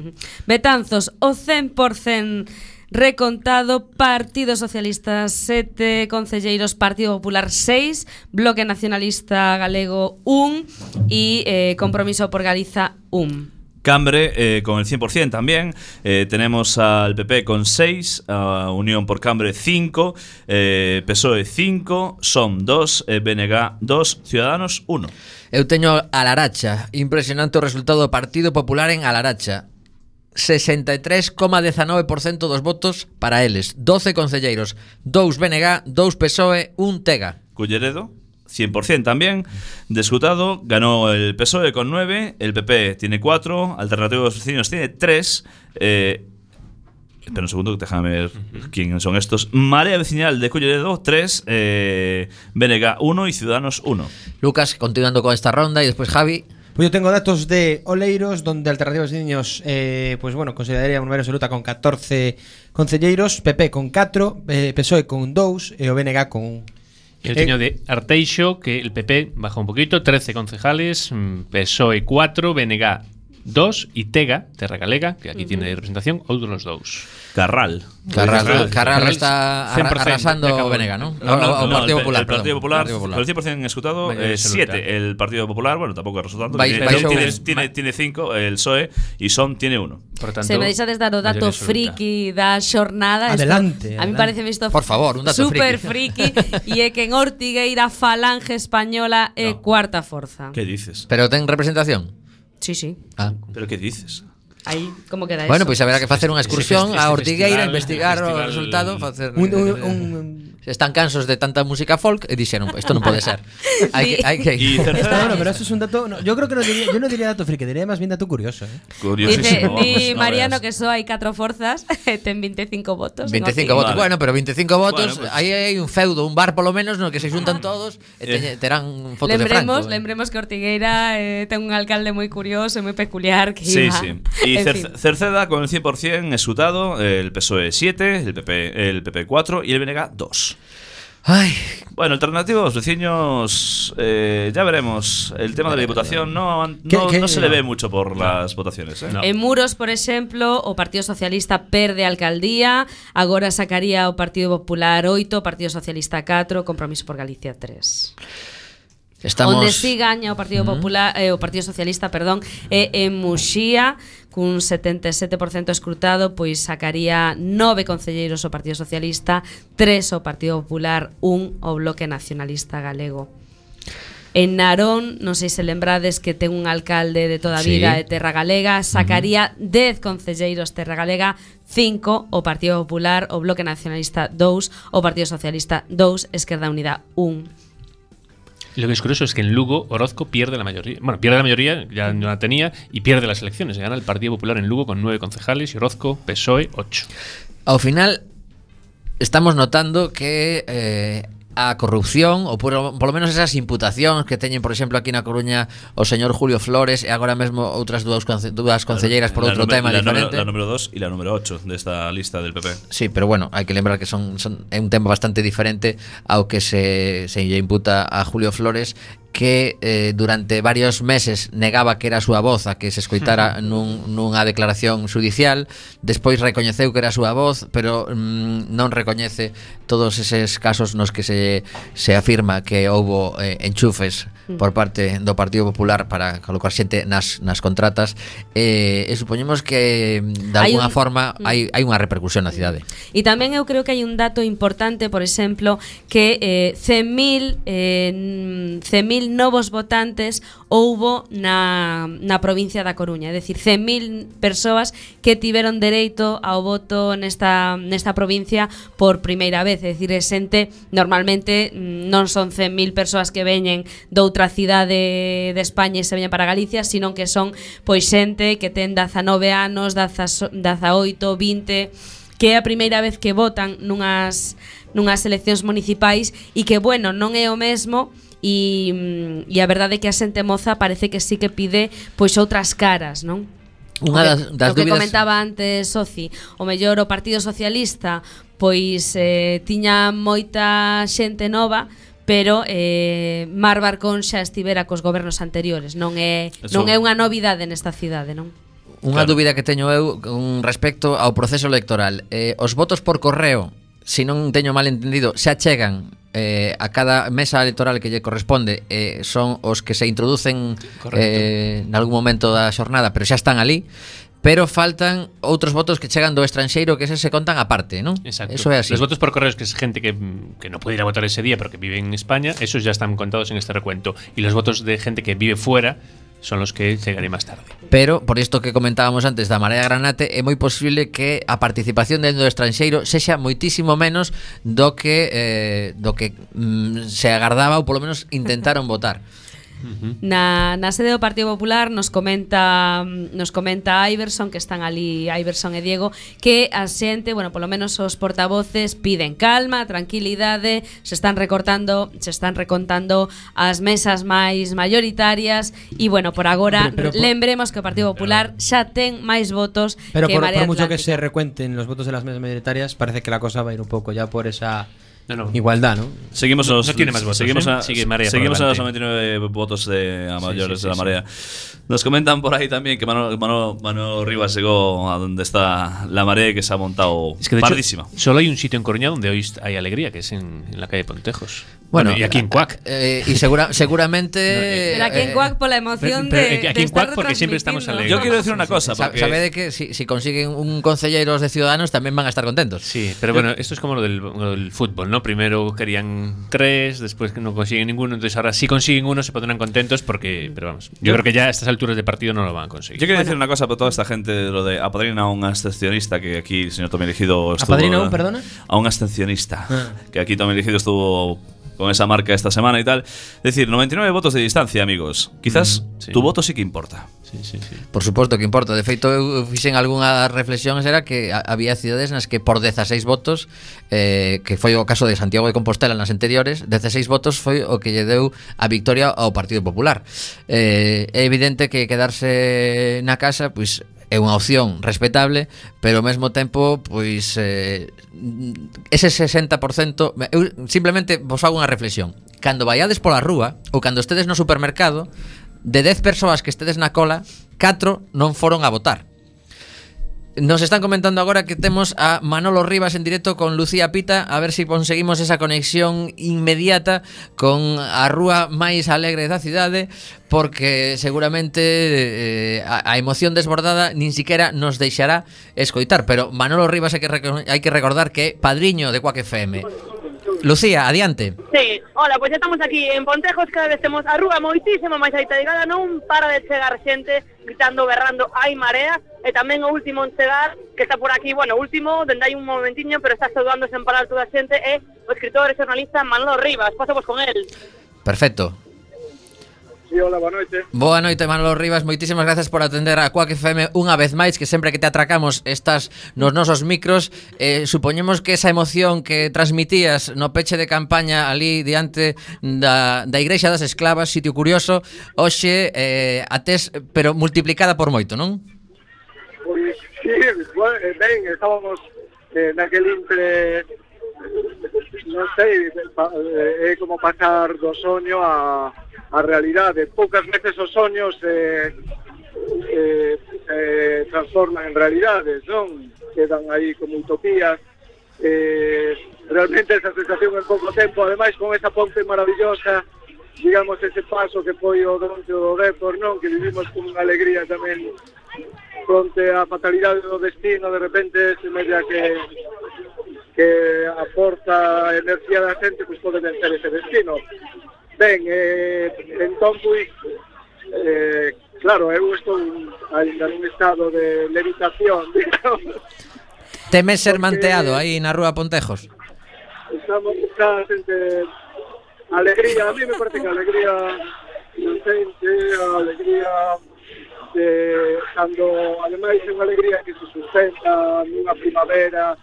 Betanzos, o 100% recontado. Partido Socialista 7 concelleiros, Partido Popular 6, Bloque Nacionalista Galego 1 y Compromiso por Galiza 1. Cambre con el 100% también. Tenemos al PP con 6, a Unión por Cambre 5, PSOE 5, SOM 2, BNG 2, Ciudadanos 1. Eu teño a Laracha. Impresionante o resultado do Partido Popular en Alaracha. 63,19% dos votos para eles. 12 concelleiros, 2 BNG, 2 PSOE, 1 TEGA. Culleredo 100% también de escrutado, ganó el PSOE con 9, el PP tiene 4, Alternativa de los Vecinos tiene 3, espera un segundo, déjame ver quiénes son estos. Marea Vecinal de Culleredo 3, BNG 1 y Ciudadanos 1. Lucas, continuando con esta ronda, y después Javi. Pues yo tengo datos de Oleiros, donde Alternativas de Niños, pues bueno, consideraría unha maioría absoluta con 14 concelleiros, PP con 4, PSOE con 2 e o BNG con 1. Eu teño de Arteixo, que el PP baja un poquito, 13 concejales, PSOE 4, BNG 2 y TEGA, Terra Galega, que aquí tiene representación, outros 2. Carral está arrasando Venega, ¿no? No, Partido Popular. El Partido Popular, con el 100% escrutado, 7. El Partido Popular, bueno, tampoco resultando. Tiene 5, el PSOE, y SOM tiene 1. Se me deixades dar o dato friki da xornada. Adelante. A mí parece isto, por favor, un dato super friki. E é que en Ortigueira Falange Española é cuarta forza. ¿Qué dices? Pero ten representación? Sí. ¿Pero qué dices? Aí, como queda eso? Bueno, pois haberá que facer unha excursión a Ortigueira, investigar o resultado, facer están cansos de tanta música folk e dixeron, isto non pode ser. Hai que bueno, pero eso es un dato, yo creo que yo no diría dato friki, diría más bien dato curioso, Curiosísimo. Dice Mariano que só hai 4 forzas, ten 25 votos. 25 votos, bueno, pero 25 votos, aí hai un feudo, un bar polo menos no que se xuntan todos e terán fotos de Franco. Lembremos que Ortigueira ten un alcalde moi curioso e moi peculiar que iba. Sí. Y Cerceda con el 100% escrutado, el PSOE 7, el PP 4 y el BNG 2. Ay. Bueno, alternativos, vecinos, ya veremos. El tema de la diputación no se le ve mucho por las votaciones. No. En Muros, por exemplo, o Partido Socialista perde a alcaldía, agora sacaría o Partido Popular 8, Partido Socialista 4, Compromiso por Galicia 3. Onde si gaña o Partido Popular, o Partido Socialista, perdón, en Muxía, cun 77% escrutado, pois sacaría 9 concelleiros o Partido Socialista, 3 o Partido Popular, 1 o Bloque Nacionalista Galego. En Narón, non sei se lembrades que ten un alcalde de toda a vida de Terra Galega, sacaría 10 concelleiros Terra Galega, 5 o Partido Popular, o Bloque Nacionalista 2, o Partido Socialista 2, Esquerda Unida 1. Lo que es curioso es que en Lugo Orozco pierde la mayoría. Bueno, pierde la mayoría, ya no la tenía, y pierde las elecciones. Gana el Partido Popular en Lugo con 9 concejales y Orozco, PSOE, 8. Ao final, estamos notando que a corrupción, ou por lo menos esas imputacións que teñen, por exemplo, aquí na Coruña o señor Julio Flores e agora mesmo outras dúas concelleiras por outro tema diferente. La número 2 e la número 8 desta lista del PP. Sí, pero bueno, hai que lembrar que é un tema bastante diferente ao que se lle imputa a Julio Flores, que durante varios meses negaba que era a súa voz a que se escoitara nunha declaración judicial, despois recoñeceu que era a súa voz, pero non recoñece todos eses casos nos que se afirma que houbo enchufes por parte do Partido Popular para colocar xente nas contratas, e supoñemos que de alguna forma hai unha repercusión na cidade. E tamén eu creo que hai un dato importante, por exemplo, que 100.000 novos votantes houbo na provincia da Coruña, é dicir, 100.000 persoas que tiveron dereito ao voto nesta provincia por primeira vez, é dicir, xente, normalmente non son 100.000 persoas que veñen doutra cidade de España e se veñen para Galicia, sino que son pois xente que ten 19 anos, 18, 20, que é a primeira vez que votan nunhas eleccións municipais e que, bueno, non é o mesmo. E a verdade é que a xente moza parece que sí que pide pois outras caras, non? Unha das que dúbidas comentaba antes Soci, o mellor o Partido Socialista pois tiña moita xente nova, pero Mar Barcón xa estivera cos gobernos anteriores, non é unha novidade nesta cidade, non? Unha dúbida que teño eu con respecto ao proceso electoral. Os votos por correo, se non teño mal entendido, xa chegan a cada mesa electoral que lle corresponde, son os que se introducen en algún momento da xornada, pero xa están ali. Pero faltan outros votos que chegan do estranxeiro, que se contan aparte, ¿non? Exacto. Eso é así. Los votos por correos, que es gente que no puede ir a votar ese día pero que vive en España, esos ya están contados en este recuento. Y los votos de gente que vive fuera son los que llegaré más tarde. Pero, por isto que comentábamos antes da Marea Granate, é moi posible que a participación dentro do estranxeiro sexa moitísimo menos do que se agardaba, ou polo menos intentaron votar. Na sede do Partido Popular nos comenta Iverson, que están ali Iverson e Diego, que a xente, bueno, polo menos os portavoces piden calma, tranquilidade, se están recontando as mesas máis mayoritarias e, bueno, por agora lembremos que o Partido Popular xa ten máis votos pero que Marea Atlántica. Pero por mucho que se recuenten los votos de las mesas mayoritarias, parece que la cosa va a ir un poco ya por esa igualdad, ¿no? Seguimos no tiene más votos. Seguimos a los 99 votos a mayores de la Marea. Nos comentan por ahí también que Mano Rivas llegó a donde está la Marea y que se ha montado pardísima. Solo hay un sitio en Coruña donde hoy hay alegría, que es en la calle Pontejos. Bueno, y aquí en Cuac. Y seguramente. Pero aquí en Cuac por la emoción de. Aquí en Cuac porque siempre estamos alegres. Yo quiero decir una cosa. Sabe de que si consiguen un concelleiros de Ciudadanos también van a estar contentos. Sí, pero bueno, esto es como lo del fútbol, ¿no? Primero querían 3, después no consiguen ninguno, entonces ahora si consiguen uno se pondrán contentos porque. Pero vamos, yo creo que ya a estas alturas de partido no lo van a conseguir. Yo quiero decir una cosa para toda esta gente, lo de apadrina a un abstencionista, que aquí el señor Tommy Elegido estuvo. ¿Apadrina a un, perdona? A un abstencionista. Que aquí Tommy Elegido estuvo con esa marca esta semana y tal. Es decir, 99 votos de distancia, amigos. Quizás tu voto sí que importa. Sí. Por suposto que importa. De feito, eu fixen algunha reflexión, era que había cidades nas que por 16 votos, que foi o caso de Santiago de Compostela nas anteriores, 16 votos foi o que lle deu a victoria ao Partido Popular. É evidente que quedarse na casa, pois é unha opción respetable, pero ao mesmo tempo, pois ese 60%, eu simplemente vos fago unha reflexión. Cando vaiades pola rúa ou cando estedes no supermercado, de 10 persoas que estedes na cola, 4 non foron a votar. Nos están comentando agora que temos a Manolo Rivas en directo con Lucía Pita, a ver se conseguimos esa conexión inmediata con a rúa máis alegre da cidade, porque seguramente a emoción desbordada nin siquiera nos deixará escoitar. Pero Manolo Rivas hai que recordar que é padriño de Quack FM. Lucía, adiante. Sí, hola, pois estamos aquí en Pontejos, cada vez temos a rúa moitísimo máis aitegada, non para de chegar xente gritando, berrando, hai Marea, e tamén o último en chegar, que está por aquí, bueno, último, dende hai un momentiño, pero está saudando sen parar toda a xente, é o escritor e xornalista Manolo Rivas. Pasamos con el. Perfecto. Sí, hola, boa noite. Boa noite, Manolo Rivas, moitísimas gracias por atender a Quack FM unha vez máis, que sempre que te atracamos estás nos nosos micros. Supoñemos que esa emoción que transmitías no peche de campaña ali diante da Igrexa das Esclavas, sitio curioso, hoxe a tes, pero multiplicada por moito, non? Pois sí, ben, estábamos naquel intre, non sei, é como pasar do soño a realidade. Poucas veces os soños se transforman en realidades, non? Quedan aí como utopías. Realmente esa sensación en pouco tempo, ademais con esa ponte maravillosa, digamos, ese paso que foi o Donte do Dépor, non? Que vivimos con unha alegría tamén fronte á fatalidade do destino, de repente se media que aporta enerxía da xente, pois pode vencer ese destino. Ben, entón, pois, claro, eu estou ainda nun estado de levitación, digamos. Temes ser manteado aí na rúa Pontejos? Estamos a xente, alegría, a mí me parece que a alegría inocente, a alegría cando, ademais, é unha alegría que se sustenta nunha primavera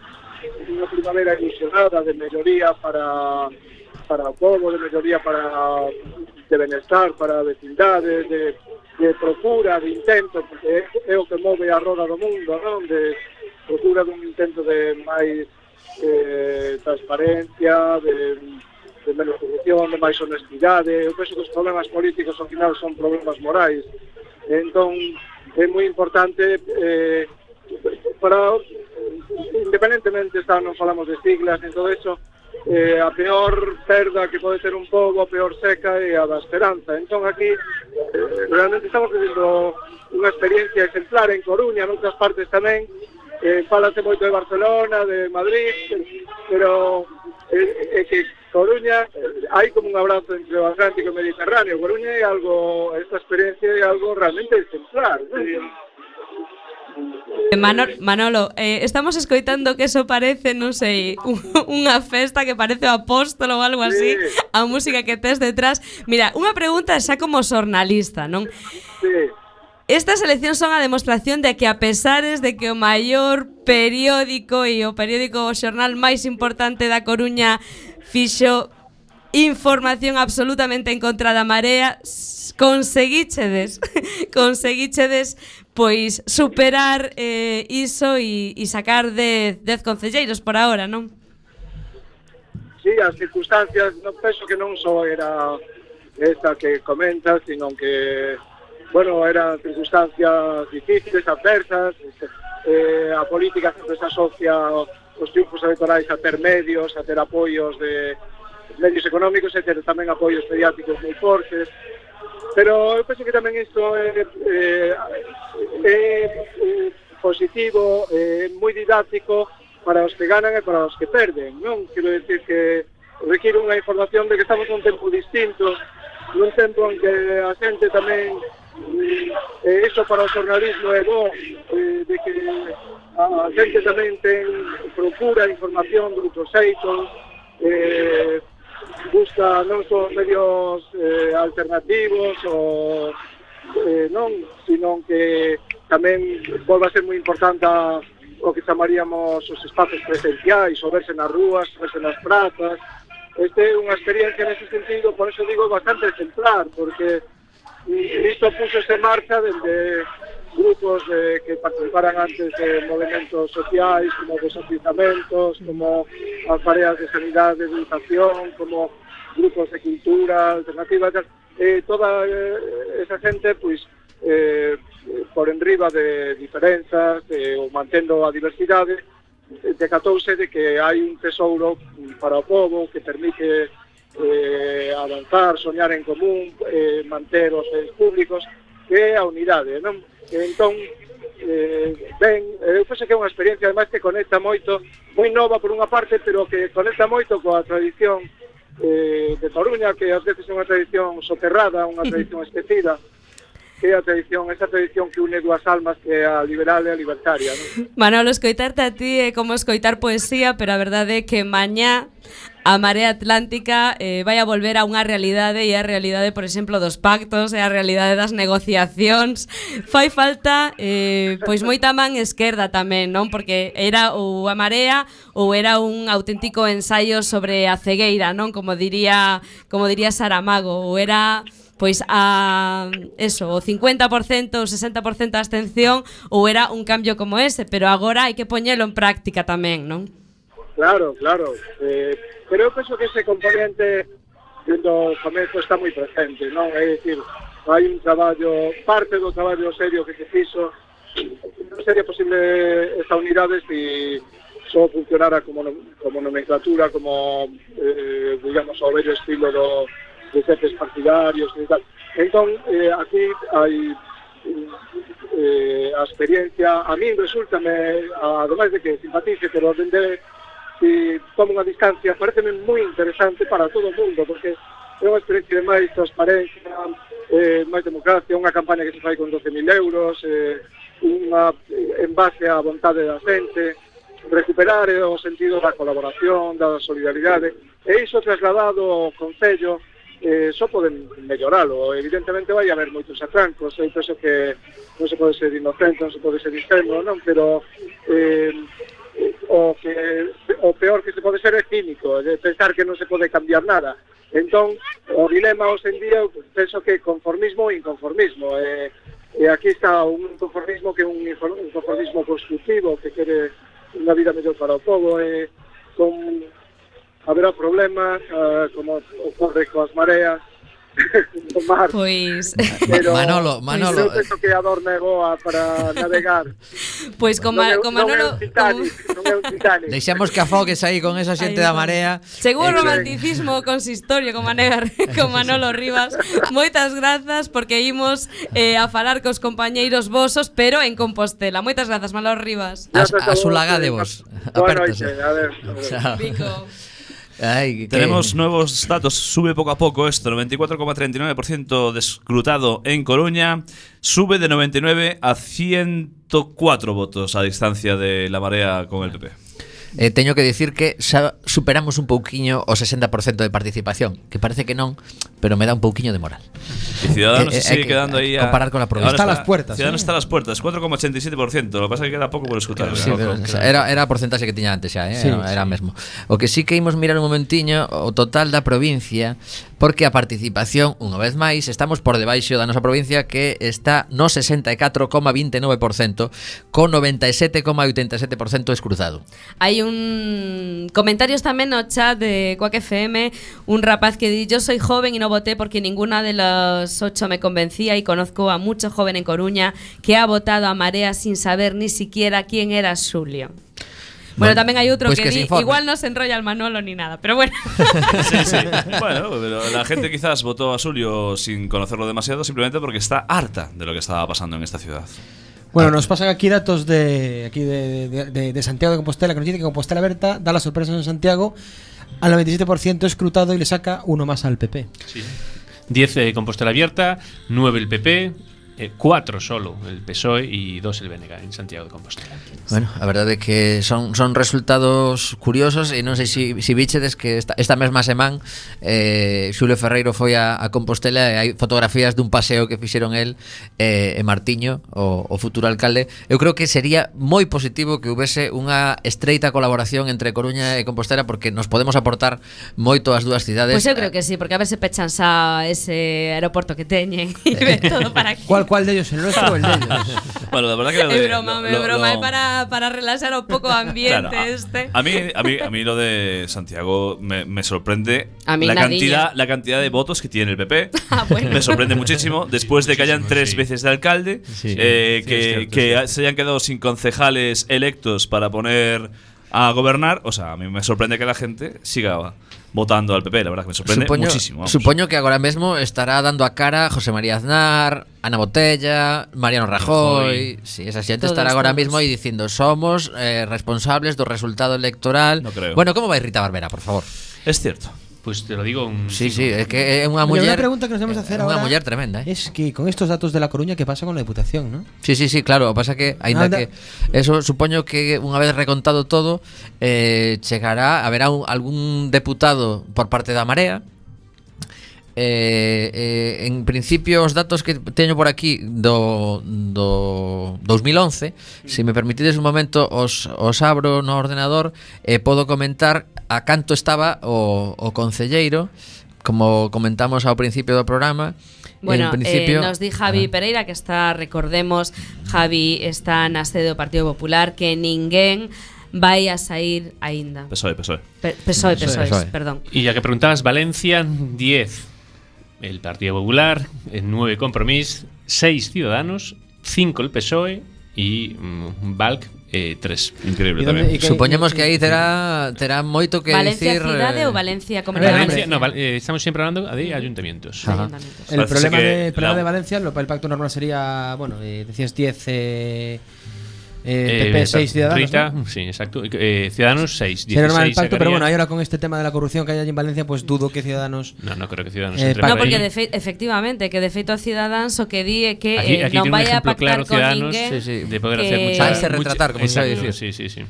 ilusionada de melloría para o povo, de melloría para benestar para a vecindade, de procura, de intento, porque é o que move a roda do mundo, non? De procura dun intento de máis transparencia, de menos corrupción, de máis honestidade. Eu penso que os problemas políticos ao final son problemas morais. Entón, é moi importante para, independentemente, non falamos de siglas, en todo eso, a peor perda que pode ter un pobo, a peor seca é a da esperanza. Entón aquí realmente estamos vivendo unha experiencia exemplar en Coruña, en outras partes tamén. Fálase moito de Barcelona, de Madrid, pero é que Coruña hai como un abrazo entre o Atlántico e o Mediterráneo. Coruña é algo, esta experiencia é algo realmente exemplar, ¿no? Manolo, estamos escoitando que eso parece, non sei, unha festa que parece o Apóstolo ou algo así, sí. A música que tes detrás. Mira, unha pregunta xa como xornalista, non? Sí. Estas eleccións son a demostración de que a pesares de que o maior periódico e o periódico o xornal máis importante da Coruña fixo información absolutamente en contra da Marea, conseguíchedes pois superar iso e sacar 10 concelleiros por ahora, non? Sí, as circunstancias, non penso que non só era esta que comentas, sino que, bueno, eran circunstancias difíciles, adversas. A política sempre se asocia os triunfos electorais a ter medios, a ter apoios de medios económicos e ter tamén apoios mediáticos moi fortes. Pero eu penso que tamén isto é positivo, moi didáctico para os que ganan e para os que perden, non? Quero decir que requiere unha información de que estamos nun tempo distinto, nun tempo en que a xente tamén, iso para o xornalismo é bo, de que a xente tamén procura información de outros xeitos, busca non só medios alternativos ou non, sino que tamén volve a ser moi importante o que chamaríamos os espazos presenciais, o verse nas rúas, verse nas prazas. Este é unha experiencia nese sentido, por eso digo, bastante exemplar, porque isto puxose en marcha desde grupos que participaran antes de movimentos sociais, como desafiuzamentos, como as mareas de sanidade, de educación, como grupos de cultura alternativa, toda esa xente, pois, por enriba de diferenzas ou mantendo a diversidade, decatouse de que hai un tesouro para o povo que permite avanzar, soñar en común, manter os bens públicos, que é a unidade, non? Entón, eu penso que é unha experiencia ademais que conecta moito, moi nova por unha parte, pero que conecta moito coa tradición de Coruña, que ás veces é unha tradición soterrada, unha tradición esquecida, que é a tradición, esa tradición que une dúas almas, que é a liberal e a libertaria, non? Manolo, escoitarte a ti é como escoitar poesía, pero a verdade é que mañá a Marea Atlántica vai a volver a unha realidade, e a realidade, por exemplo, dos pactos, e a realidade das negociacións. Fai falta pois moita man esquerda tamén, non? Porque era ou a Marea ou era un auténtico ensaio sobre a cegueira, non? Como diría Saramago, ou era pois eso, o 50%, o 60% de abstención, ou era un cambio como ese, pero agora hai que poñelo en práctica tamén, non? Claro, claro. Pero eu penso que ese componente do comezo está moi presente, non? É dicir, hai un traballo, parte do traballo serio que se fixo, non sería posible esta unidade se só funcionara como nomenclatura, como, digamos, ao vello estilo de xefes partidarios e tal. Entón, aquí hai a experiencia, a min resultame, ademais de que simpatice, pero dende si tomo unha distancia, pareceme moi interesante para todo o mundo, porque é unha experiencia de máis transparencia, máis democracia, unha campaña que se fai con 12.000 euros, en base á vontade da xente, recuperar o sentido da colaboración, da solidaridade, e iso trasladado ao Concello, só poden melloralo. Evidentemente vai haber moitos atrancos, eu penso que non se pode ser inocente, non se pode ser ingenuo, non? Pero o peor que se pode ser é cínico, de pensar que non se pode cambiar nada. Entón, o dilema hoxe en día, penso que conformismo e inconformismo. E aquí está un conformismo que é un conformismo constructivo, que quere unha vida mellor para o povo, haberá problemas, como ocorre coas mareas, no mar. Pois pero Manolo, eu penso que a dor é boa para navegar. Pois con Manolo non é un Titanic. Deixamos que afogues aí con esa xente da marea. Chegou o romanticismo consistorio con Manolo Rivas. Moitas grazas porque imos a falar cos compañeiros vosos, pero en Compostela. Moitas grazas, Manolo Rivas. A sulagadevos. Apértase. A ver. Pico. Tenemos nuevos datos, sube poco a poco esto, 94,39% de escrutado en Coruña, sube de 99 a 104 votos a distancia de la Marea con el PP. Teño que dicir que superamos un pouquiño o 60% de participación, que parece que non, pero me da un pouquiño de moral. Y Ciudadanos se sigue quedando ahí a comparar con la provincia. Está a las puertas. Ciudadanos está a las puertas, 4,87%. Lo que pasa es que queda pouco por escutar. Sí, era a porcentaxe que tiña antes xa, era mesmo. O que sí que imos mirar un momentiño o total da provincia, porque a participación, unha vez máis, estamos por debaixo da nosa provincia, que está no 64,29%, con 97,87% escruzado. Hai un comentarios tamén no chat de Quack FM, un rapaz que di: yo soy joven y no voté porque ninguna de las 8 me convencía, y conozco a mucho joven en Coruña que ha votado a marea sin saber ni siquiera quién era Xulio. Bueno, tamén hai outro pues que di, igual no se enrolla el Manolo ni nada, pero bueno. Sí. Bueno, pero la gente quizás votó a Xulio sin conocerlo demasiado, simplemente porque está harta de lo que estaba pasando en esta ciudad. Bueno, nos pasan aquí datos de Santiago de Compostela, que nos dice que Compostela Berta da la sorpresa en Santiago al 97% escrutado y le saca uno más al PP. Sí. 10 Compostela Abierta, 9 el PP, 4 solo el PSOE y 2 el BNG en Santiago de Compostela. Bueno, a verdade é que son resultados curiosos, e non sei se bichedes que esta mesma semana Xulio Ferreiro foi a Compostela, e hai fotografías dun paseo que fixeron el e Martiño, o futuro alcalde. Eu creo que sería moi positivo que houvese unha estreita colaboración entre Coruña e Compostela, porque nos podemos aportar moito as dúas cidades. Pois eu creo que sí, porque a ver se pechan xa ese aeroporto que teñen e ven todo para aquí. ¿Cuál de ellos? ¿El nuestro o el de ellos? Bueno, la verdad que es broma, es para relaxar un poco ambiente. Claro, a mí lo de Santiago me sorprende la cantidad de votos que tiene el PP. Bueno. Me sorprende muchísimo, después de que hayan 3 veces de alcalde, que se hayan quedado sin concejales electos para poner a gobernar. O sea, a mí me sorprende que la gente siga votando al PP, la verdad que me sorprende muchísimo. Supoño que agora mesmo estará dando a cara José María Aznar, Ana Botella, Mariano Rajoy. Sí, esa xente estará agora mesmo aí dicindo: somos responsables do resultado electoral. No creo. Bueno, como vai Rita Barbera, por favor? Es cierto. Pues te lo digo Sí, es que é unha muller. Una pregunta que nos debemos hacer ahora. Unha muller tremenda, Es que con estos datos de La Coruña, ¿qué pasa con la Diputación, no? Sí, claro, o pasa que aínda que eso supoño que unha vez recontado todo, haberá algún deputado por parte da Marea. En principio os datos que teño por aquí do 2011, se me permitides un momento os abro no ordenador e podo comentar a canto estaba o concelleiro, como comentamos ao principio do programa. Bueno, nos di Javi Pereira que está, recordemos, Javi está na sede do Partido Popular, que ninguén vai a sair aínda. PSOE, perdón. Y ya que preguntabas, Valencia 10 el Partido Popular, 9 Compromís, 6 Ciudadanos, 5 el PSOE y Valk 3. Increíble tamén. Supoñemos que aí terá moito que Valencia decir. ¿Valencia cidade ou Valencia comunidade? Estamos siempre hablando de ayuntamientos. El problema de Valencia, el pacto normal sería, bueno, decías 10 PP 6 Ciudadanos, Rita, ¿no? Sí, exacto. Ciudadanos 6. Sería normal el pacto, pero bueno, ahora con este tema de la corrupción que hay allí en Valencia, pues dudo que Ciudadanos. No creo que Ciudadanos no, porque efectivamente, que de feito a Ciudadanos o que di é que aquí non vai a pactar claro, con Ciudadanos, ninguén de poder hacer mucha retratar, como se sabe decir. Sí.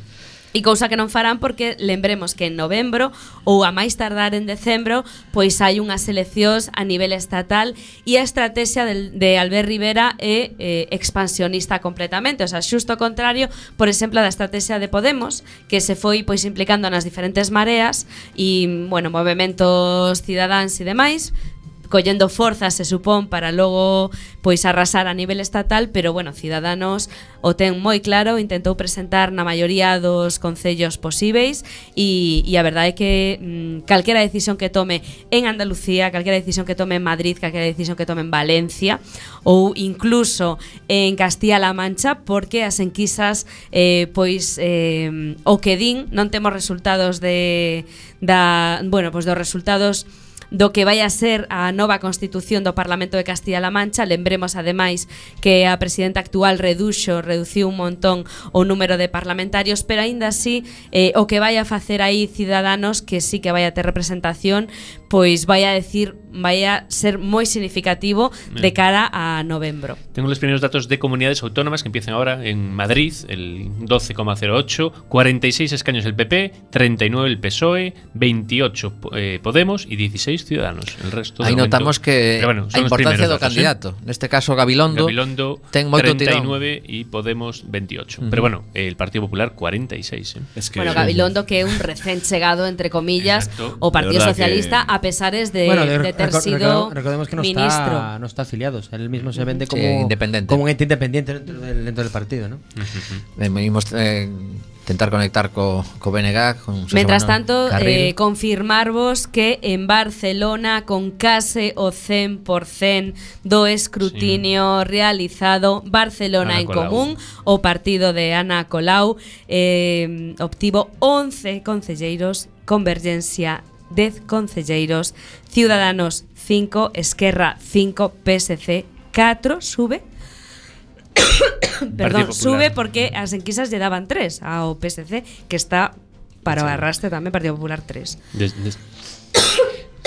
E cousa que non farán porque lembremos que en novembro ou a máis tardar en decembro pois hai unhas eleccións a nivel estatal e a estrategia de Albert Rivera é expansionista completamente, o sea, xusto o contrario, por exemplo, da estrategia de Podemos, que se foi pois implicando nas diferentes mareas e, bueno, movementos cidadáns e demais, collendo forzas, se supón, para logo pois arrasar a nivel estatal, pero bueno, Ciudadanos o ten moi claro, intentou presentar na maioría dos concellos posíveis e a verdade é que calquera decisión que tome en Andalucía, calquera decisión que tome en Madrid, calquera decisión que tome en Valencia ou incluso en Castilla-La Mancha, porque as enquisas pois o que din, non temos resultados dos resultados do que vai a ser a nova constitución do Parlamento de Castilla-La Mancha. Lembremos ademais que a presidenta actual reduciu un montón o número de parlamentarios, pero aínda así o que vai a facer aí Ciudadanos, que sí que vai a ter representación, pois vai a ser moi significativo de cara a novembro. Tengo los primeros datos de comunidades autónomas que empiezan ahora en Madrid, el 12,08, 46 escaños el PP, 39 el PSOE, 28 Podemos y 16 Ciudadanos. El resto aí notamos que bueno, a importancia do candidato, neste caso Gabilondo ten moito 39 y Podemos 28. Pero bueno, el Partido Popular 46. Es que bueno, Gabilondo que é un recén chegado, entre comillas, o Partido Socialista, a pesares de ter sido recordemos que ministro. No está afiliado, él mismo se vende como independiente, como un ente independiente dentro del partido, ¿no? Venimos tentar conectar co BNG con Mientras tanto, confirmarvos que en Barcelona con case o 100% do escrutinio realizado, Barcelona en Común, o partido de Ana Colau, obtivo 11 concelleiros, Convergencia 10 concelleiros, Ciudadanos 5, Esquerra 5, PSC 4, sube. Perdón, sube porque as enquisas lle daban 3 ao PSC, que está para o arrastre tamén, Partido Popular 3.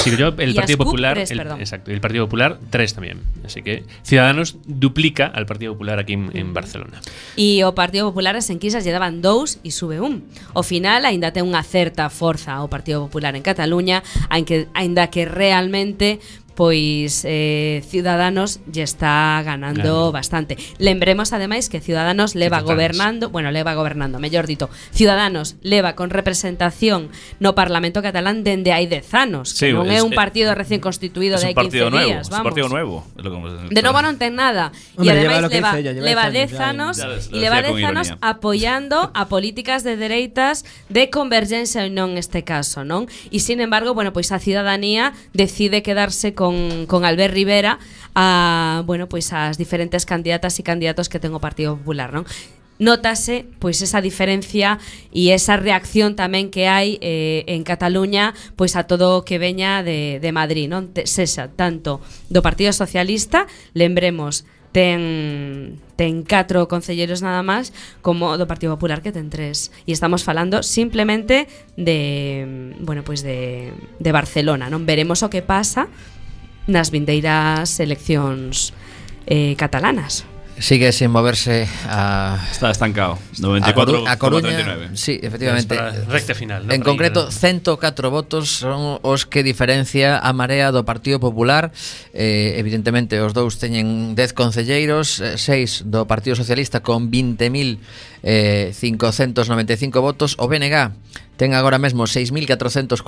Sí, yo, el Partido Popular, exacto, el Partido Popular 3 también. Así que Ciudadanos duplica al Partido Popular aquí en Barcelona. E o Partido Popular as enquisas lle daban 2 e sube 1. Ao final aínda ten unha certa forza o Partido Popular en Cataluña, aínda que realmente pois Ciudadanos lle está ganando bastante. Lembremos ademais que Ciudadanos leva gobernando, mellor dito, Ciudadanos leva con representación no Parlamento catalán dende hai 10 anos, que non é un partido recién constituído de hai 15 días, vamos. É un partido nuevo. De novo non ten nada. E ademais leva 10 anos e leva 10 anos apoiando a políticas de dereitas de Convergencia e non neste caso, non? E sin embargo, bueno, pois a cidadanía decide quedarse con Albert Rivera a, bueno, pois as diferentes candidatas e candidatos que ten o Partido Popular, non? Nótase pois esa diferencia e esa reacción tamén que hai en Cataluña pois a todo o que veña de Madrid, non? Sexa tanto do Partido Socialista, lembremos, ten 4 concelleiros nada máis, como do Partido Popular, que ten 3. E estamos falando simplemente de, bueno, pois de Barcelona, non? Veremos o que pasa nas vindeiras eleccións catalanas. Sigue sin moverse está estancado. 94 a Coruña. Sí, efectivamente. Recta final, ¿no? En concreto, 104 votos son os que diferencia a Marea do Partido Popular. Evidentemente, os dous teñen 10 concelleiros, 6 do Partido Socialista con 20.595 votos. O BNG ten agora mesmo 6.448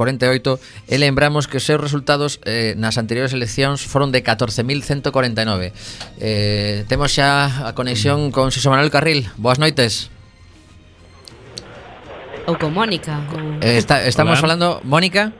e lembramos que os seus resultados nas anteriores eleccións foron de 14.149. Temos xa a conexión con Xosé Manuel Carril. Boas noites. Ou con Mónica. Estamos falando, Mónica.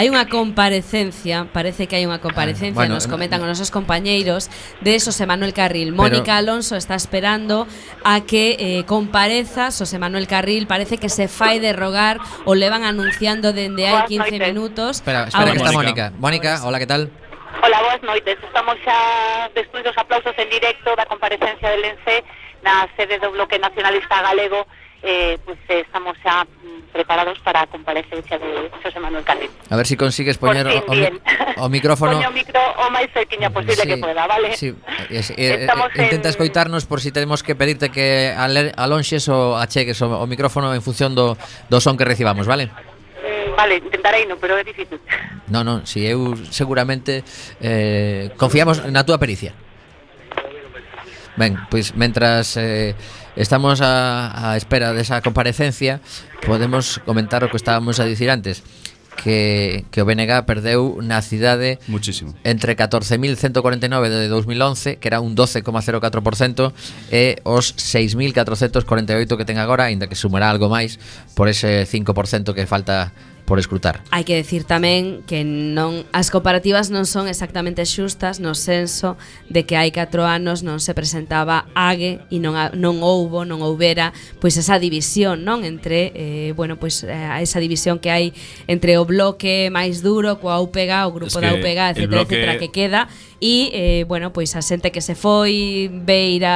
Hai unha comparecencia, parece que hai unha comparecencia, bueno, nos comentan os nosos compañeiros de Xosé Manuel Carril. Mónica Alonso está esperando a que compareza Xosé Manuel Carril, parece que se fai de rogar, o levan anunciando dende hai 15 minutos. Espera que está Mónica. Mónica, hola, que tal? Hola, boas noites. Estamos xa despois dos aplausos en directo da comparecencia del ENCE na sede do Bloque Nacionalista Galego pues estamos xa preparados para a comparecencia de José Manuel Carril. A ver si consigues poñer o micrófono. Poño o micro o máis cerquiña posible que pueda, vale? Sí, intenta escoitarnos por si tenemos que pedirte que alonxes ou achegues o micrófono en función do son que recibamos, vale? Vale, intentarei, no, pero é difícil. No, si eu seguramente confiamos na túa pericia. Ben, pois mentras estamos a espera desa comparecencia, podemos comentar o que estábamos a dicir antes, que o BNG perdeu na cidade muchísimo, entre 14.149 de 2011, que era un 12,04%, e os 6.448 que ten agora, aínda que sumará algo máis por ese 5% que falta por escrutar. Hai que decir tamén que non as comparativas non son exactamente xustas no senso de que hai 4 anos non se presentaba AGE e non houbera pois esa división, non, entre esa división que hai entre o bloque máis duro coa UPG, o grupo da UPG, etcétera, que queda e pois a xente que se foi Beira,